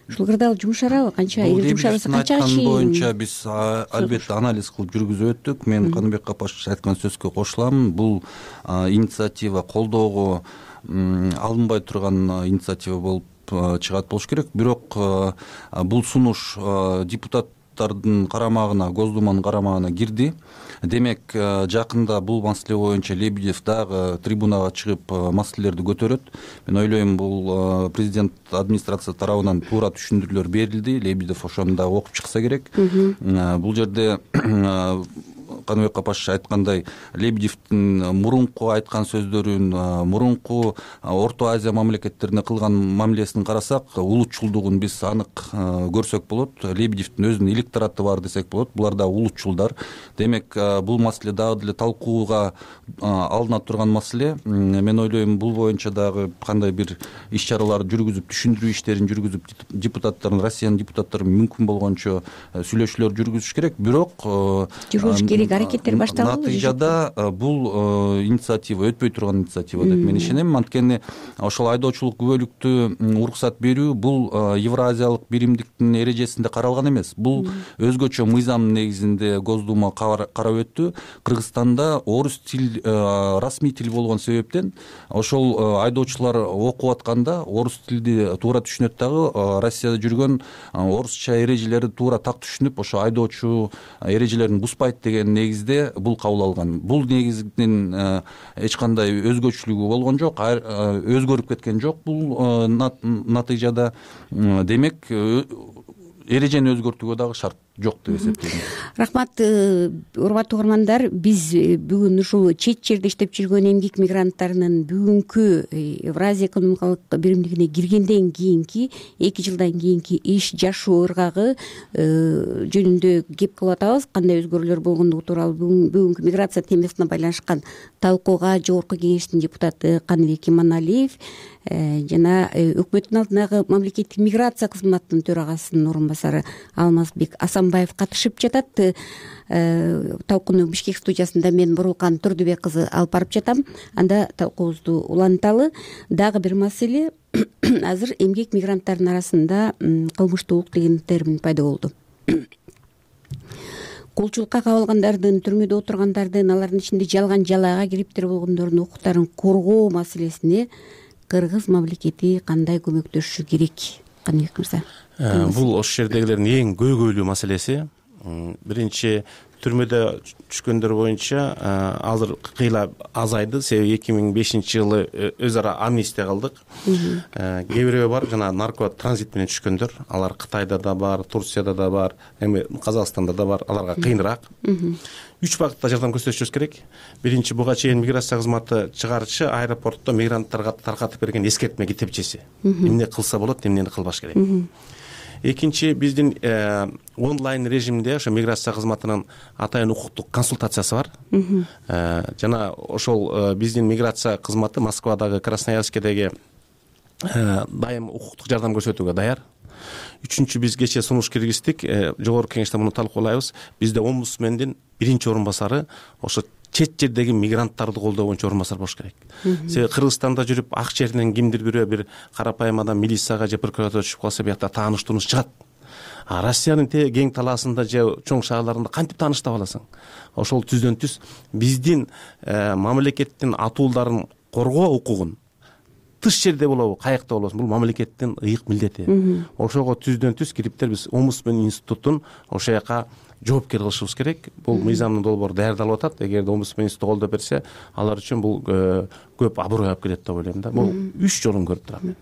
ушул кырдаал жумшарабы, канча жумшарбаса канча чейин боюнча биз албетте анализ кылып жүргүзүп өттүк. Мен Каныбек Капашевич айткан сөзгө кошулам. Бул инициатива колдоого алынбай турган инициатива болуп чыгат болуш керек. Бирок бул сунуш депутаттардын карамагына, Госдуманын карамагына кирди. Демек, жакында бул маселе боюнча Лебедев дагы трибунага чыгып маселелерди көтөрөт. Мен ойлойм, бул президент администрация тарабынан туура түшүндүрүүлөр берилди. Лебедев ошону да окуп чыкса керек. Бул жерде Каныбек Капашевич айткандай, Лебедевдин мурунку айткан сөздөрүн, мурунку Орто Азия мамлекеттерине кылган мамилесин карасак, улутчулдугун биз анык көрсөк болот. Лебедевдин өзүнүн электораты бар десек болот. Булар да улутчулдар. Демек, бул маселе дагы деле талкууга алына турган маселе. Мен ойлойм, бул боюнча дагы кандай бир иш-чаралар жүргүзүп, түшүндүрүү иштерин жүргүзүп, депутаттардын, Россиянын депутаттары мүмкүн болгончо сүйлөшүүлөр жүргүзүш керек. Бирок жүргүзүш керек, аракеттер башталды. Натыйжада бул инициатива өтпөй турган инициатива деп мен ишенем. Анткени ошол айдоочулук күбөлүктү уруксат берүү бул Евразиялык биримдиктин эрежесинде каралган эмес. Бул өзгөчө мыйзам негизинде Госдума карап өттү. Кыргызстанда орус тил расмий тил болгон себептен ошол айдоочулар окуп атканда орус тилди туура түшүнөт дагы, Россияда жүргөн орусча эрежелерди туура так түшүнүп, ошо айдоочу эрежелерин бузбайт деген негизде бул кабыл алган. Бул негиздин эч кандай өзгөчөлүгү болгон жок, өзгөрүп кеткен жок бул натыйжада. Демек, эрежени өзгөртүүгө дагы шарт жок деп эсептейм. Рахмат, урматтуу угармандар. Биз бүгүн ушул чет жерде иштеп жүргөн эмгек мигранттарынын бүгүнкү Евразия экономикалык биримдигине киргенден кийинки 2 жылдан кийинки иш жашоо ыргагы жөнүндө кеп кылып атабыз. Кандай өзгөрүүлөр болгондугу тууралуу бүгүнкү миграция темасына байланышкан талкууга Жогорку Кеңештин депутаты Каныбек Иманалиев жана өкмөттүн алдындагы мамлекеттик миграция кызматынын төрагасынын орун басары Алмазбек Асанбаев катышып жатат. Талкууну Бишкек студиясында мен Бурулкан Турдубек кызы алып барып жатам. Анда талкуубузду уланталы. Дагы бир маселе, азыр эмгек мигранттардын арасында кылмыштуулук деген термин пайда болду. Кулчулукка кабылгандардын, түрмөдө отургандардын, алардын ичинде жалган жалаага кириптир болгондордун укуктарын коргоо маселесине Кыргыз мамлекети кандай көмөктөшүшү керек? Каныбек мырза. Бул ошол жердегилердин эң көйгөйлүү маселеси. Биринчи, түрмөдө түшкөндөр боюнча азыр кыйла азайды. Себеби 2005 жылы өз ара амнистия кылдык. Кээ бирөө бар, жана нарко транзит менен түшкөндөр. Алар Кытайда да бар, Турцияда да бар, эми Казакстанда да бар. Аларга кыйыныраак. 3 багытта жардам көрсөтүшүбүз керек. Биринчи, буга чейин миграция кызматы чыгарчы аэропортто мигранттарга таркатып берген эскертме китепчеси. Эмне кылса болот, эмнени кылбаш керек. Экинчи, биздин онлайн режимде ошо миграция кызматынын атайын укуктук консультациясы бар. Жана ошол биздин миграция кызматы Москвадагы, Красноярскедеги дайым укуктук жардам көрсөтүүгө даяр. Үчүнчү, биз кечээ сунуш киргиздик, жогорку кеңеште муну талкуулайбыз. Бизде омбудсмендин биринчи орун басары ошо чет жердеги мигранттарды колдоо боюнча орун басар болуш керек. Себеби Кыргызстанда жүрүп ак жерден кимдир бирөө бир карапайым адам милицияга же прокуратурага түшүп калса, биякта тааныш-тунуш чыгат. Россиянын кең талаасында же чоң шаарларында кантип тааныш таба аласың? Ошол түздөн түз биздин мамлекеттин атуулдарын коргоо укугун тыш жерде болобу, каякта болобу, бул мамлекеттин ыйык милдети. Ошого түздөн түз кириптер биз омбудсмен институтун ошол жака жоопкер кылышыбыз керек. Бул мыйзамдын долбоору даярдалып атат. Эгерде омбудсмен институту колдоо берсе, алар үчүн бул көп аброй алып келет деп ойлойм да. Бул 3 жолун көрүп турам.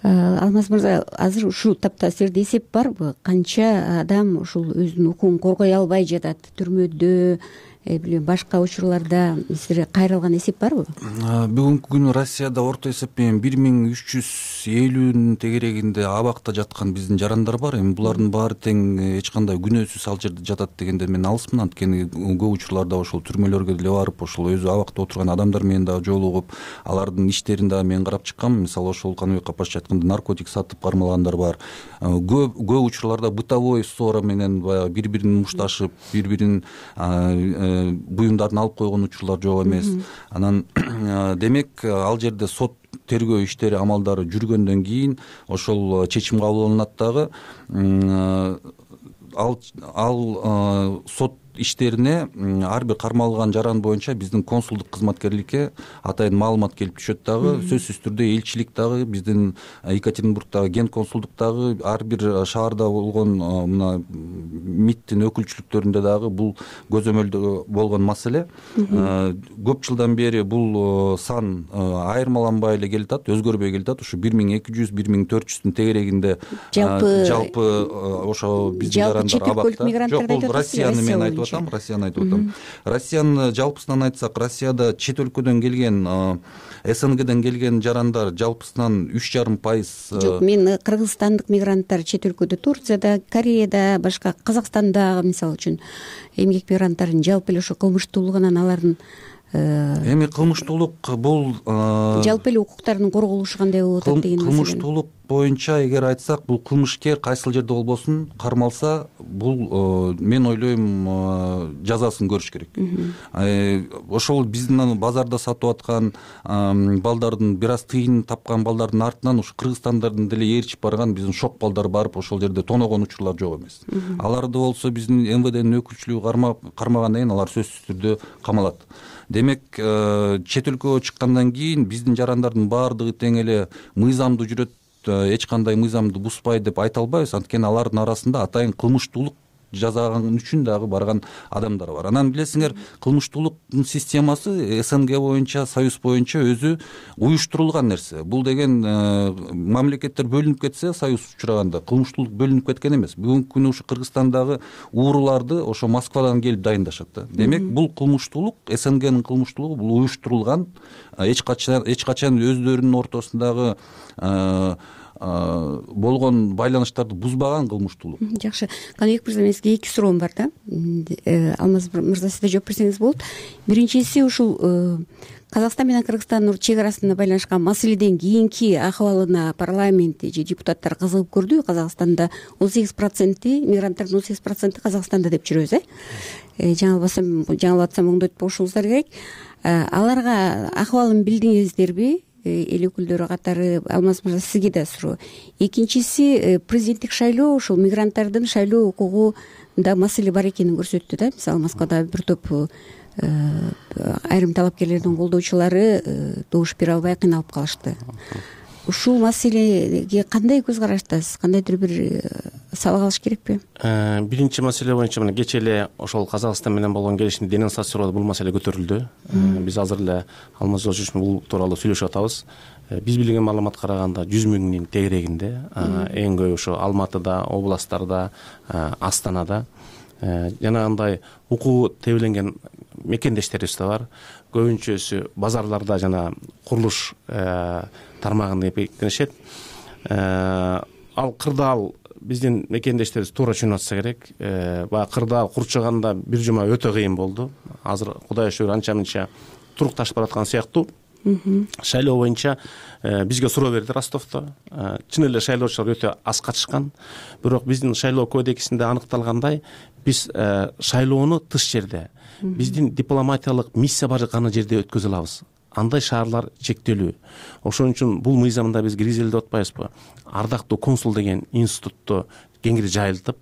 Алмаз мырза, азыр ушул тапта силерде эсеп барбы? Канча адам ушул өзүнүн укугун коргой албай жатат, түрмөдө, башка учурларда силерге кайрылган эсеп барбы? Бүгүнкү күнү Россияда орто эсеп менен 1350 тегерегинде абакта жаткан биздин жарандар бар. Эми булардын баары тең эч кандай күнөөсүз ал жерде жатат дегенде мен алысмын. Анткени көп учурларда ошол түрмөлөргө деле барып, ошол өзү абакта отурган адамдар менен дагы жолугуп, алардын иштерин дагы мен карап чыккам. Мисалы ошол Каныбек Капашев айткандай наркотик сатып кармалгандар бар. Көп учурларда бытовой ссора менен баягы бири-бирин мушташып, бири-бирин буюмдарын алып койгон учурлар жок эмес. Анан демек ал жерде сот тергөө иштери амалдары жүргөндөн кийин ошол чечим кабыл алынат дагы. Ал сот иштерине ар бир кармалган жаран боюнча биздин консулдук кызматкерликке атайын маалымат келип түшөт дагы. Сөзсүз түрдө элчилик дагы биздин Екатеринбургдагы ген консулдуктагы ар бир шаарда болгон мына МИДтин өкүлчүлүктөрүндө дагы бул көзөмөлдө болгон маселе. Көп жылдан бери бул сан айырмаланбай эле келатат, өзгөрбөй келатат. Ушу 1200-1400 тегерегинде жалпы ошо биздин жарандар абакта. Жок, бул Россияны мен айтып атам, Россияны айтып атам. Россиянын жалпысынан айтсак, Россияда чет өлкөдөн келген, СНГден келген жарандар жалпысынан 3,5%. Жок, мен кыргызстандык мигранттар чет өлкөдө, Турцияда, Кореяда, башка Казакстанда мисалы үчүн эмгек мигранттардын жалпы эле ошо кылмыштуулугунан алардын эми кылмыштуулук бул жалпы эле укуктардын корголушу кандай болуп атат деген маселе. Кылмыштуулук боюнча эгер айтсак, бул кылмышкер кайсыл жерде болбосун кармалса, бул мен ойлойм жазасын көрүш керек. Ошол биздин базарда сатып аткан балдардын бир аз тыйын тапкан балдардын артынан ушу кыргызстандардын деле ээрчип барган биздин шок балдар барып ошол жерде тоногон учурлар жок эмес. Аларды болсо биздин МВДнин өкүлчүлүгү кармагандан кийин алар сөзсүз түрдө камалат. Демек, чет өлкөгө чыккандан кийин биздин жарандардын баардыгы тең эле мыйзамдуу жүрөт, эч кандай мыйзамды бузбайт деп айта албайбыз. Анткени алардын арасында атайын кылмыштуулук жасаган үчүн дагы барган адамдар бар. Анан билесиңер, кылмыштуулуктун системасы СНГ боюнча, Союз боюнча өзү уюштурулган нерсе. Бул деген мамлекеттер бөлүнүп кетсе, Союз учураганда кылмыштуулук бөлүнүп кеткен эмес. Бүгүнкү күнү ушу Кыргызстандагы ууруларды ошо Москвадан келип дайындашат да. Демек, бул кылмыштуулук, СНГнын кылмыштуулугу бул уюштурулган, эч качан өздөрүнүн ортосундагы болгон байланыштарды бузбаган кылмыштуулук. Жакшы. Каныбек мырза, мен сизге 2 суроом бар да. Алмаз мырза, сиз да жооп берсеңиз болот. Биринчиси ушул Казакстан менен Кыргызстандын чек арасында байланышкан маселеден кийинки акыбалына парламент же депутаттар кызыгып көрдү. Казакстанда 18% мигранттардын 18% Казакстанда деп жүрөбүз, жаңылып атсам оңдойтуп коюшуңуздар керек. Аларга акыбалын билдиңиздерби? Эл өкүлдөрү катары. Алмаз мырза, сизге да суроо. Экинчиси, президенттик шайлоо ушул мигранттардын шайлоо укугунда маселе бар экенин көрсөттү да. Мисалы Москвада бир топ айрым талапкерлердин колдоочулары добуш бере албай кыйналып калышты. Ушул маселеге кандай көз караштасыз? Кандайдыр бир сабак алыш керекпи? Биринчи маселе боюнча мына кечээ эле ошол Казакстан менен болгон келишимди денонсациялоодо бул маселе көтөрүлдү. Биз азыр эле Алмаз Жолчуович менен бул тууралуу сүйлөшүп атабыз. Биз билген маалыматка караганда 100 миңдин тегерегинде, эң көп ошо Алматыда, областтарда, Астанада жанагындай укугу тебеленген мекендештерибиз да бар. Көбүнчөсү базарларда жана курулуш тармагында эпектенишет. Ал кырдаал биздин мекендештерибиз туура түшүнүп атса керек. Баягы кырдаал курчаганда бир жума өтө кыйын болду. Азыр Кудайга шүгүр анча-мынча турукташып бараткан сыяктуу. Шайлоо боюнча бизге суроо берди Ростовдо. Чын эле шайлоочулар өтө аз катышкан. Бирок биздин шайлоо кодексинде аныкталгандай, биз шайлоону тыш жерде, биздин дипломатиялык миссия бар гана жерде өткөзө алабыз. Андай шаарлар чектелүү. Ошон үчүн бул мыйзамда биз киргизели деп атпайбызбы? Ардактуу консул деген институтту кеңири жайылтып,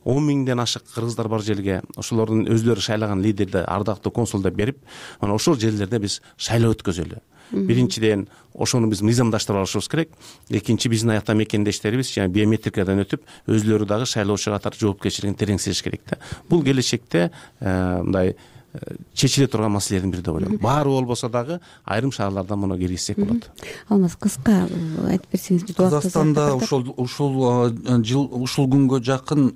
10 миңден ашык кыргыздар бар жерге ошолордун өздөрү шайлаган лидерди ардактуу консул деп берип, ошол жерлерде биз шайлоо өткөзөлү. биринчиден ошону биз мыйзамдаштырып алышыбыз керек. Экинчи, биздин аякта мекендештерибиз жана биометрикадан өтүп өзүлөрү дагы шайлоочу катары жоопкерчилигин тереңсетиш керек да. Бул келечекте мындай чечиле турган маселелердин бири деп ойлойм. Баары болбосо дагы айрым шаарларда муну киргизсек болот. Алмаз, кыска айтып берсеңиз. Казакстанда ушул күнгө жакын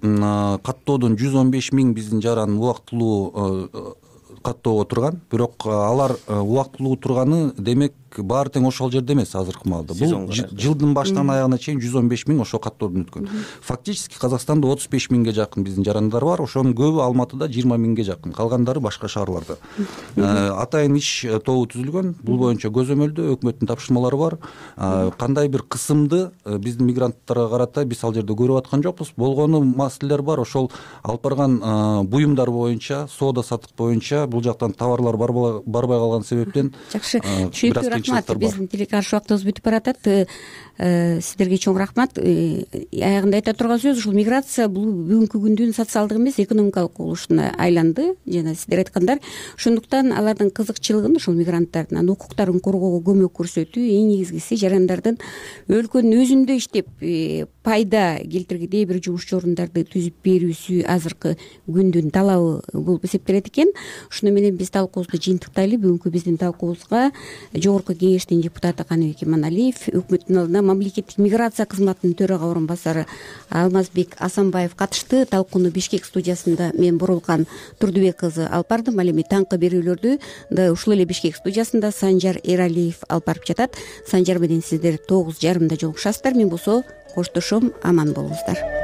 каттоодон 115 000 биздин жаран убактылуу каттоого турган. Бирок алар убактылуу турганы демек баары тең ошол жерде эмес азыркы маалда. Бул жылдын башынан аягына чейин 115 000 ошол каттоодон өткөн. Фактически Казакстанда 35 000ге жакын биздин жарандар бар. Ошонун көбү Алматыда, 20 000ге жакын. Калгандары башка шаарларда. Атайын иш тобу түзүлгөн. Бул боюнча көзөмөлдө өкмөттүн тапшырмалары бар. Кандай бир кысымды биздин мигранттарга карата биз ал жерде көрүп аткан жокпуз. Болгону маселелер бар. Ошол алып барган буюмдар боюнча, соода саттык боюнча бул жактан товарлар барбай калган себептен жакшы, түшүнүктүү. Рахмат. Биздин телекаршы убактыбыз бүтүп баратат. Сиздерге чоң рахмат. Аягында айта турган сөз ушул миграция бул бүгүнкү күндүн социалдык эмес, экономикалык кубулушуна айланды. Жана сиздер айткандар, ошондуктан алардын кызыкчылыгын, ушул мигранттардын укуктарын коргоого көмөк көрсөтүү, эң негизгиси жарандардын өлкөнүн өзүндө иштеп пайда келтиргидей бир жумуш орундарды түзүп берүүсү азыркы күндүн талабы болуп эсептелет экен. Ушуну менен биз талкуубузду жыйынтыктайлы. Бүгүнкү биздин талкуубузга Жогорку кеңештин депутаты Каныбек Иманалиев, өкмөттүн алдына мамлекеттик миграция кызматынын төрага орун басары Алмазбек Асанбаев катышты. Талкууну Бишкек студиясында мен Бурулкан Турдубек кызы алып бардым. Ал эми таңкы берүүлөрдү да ушул эле Бишкек студиясында Санжар Эралиев алып барып жатат. Санжар менен сиздер 9:30 жолугушасыздар. Мен болсо коштошом, аман болуңуздар.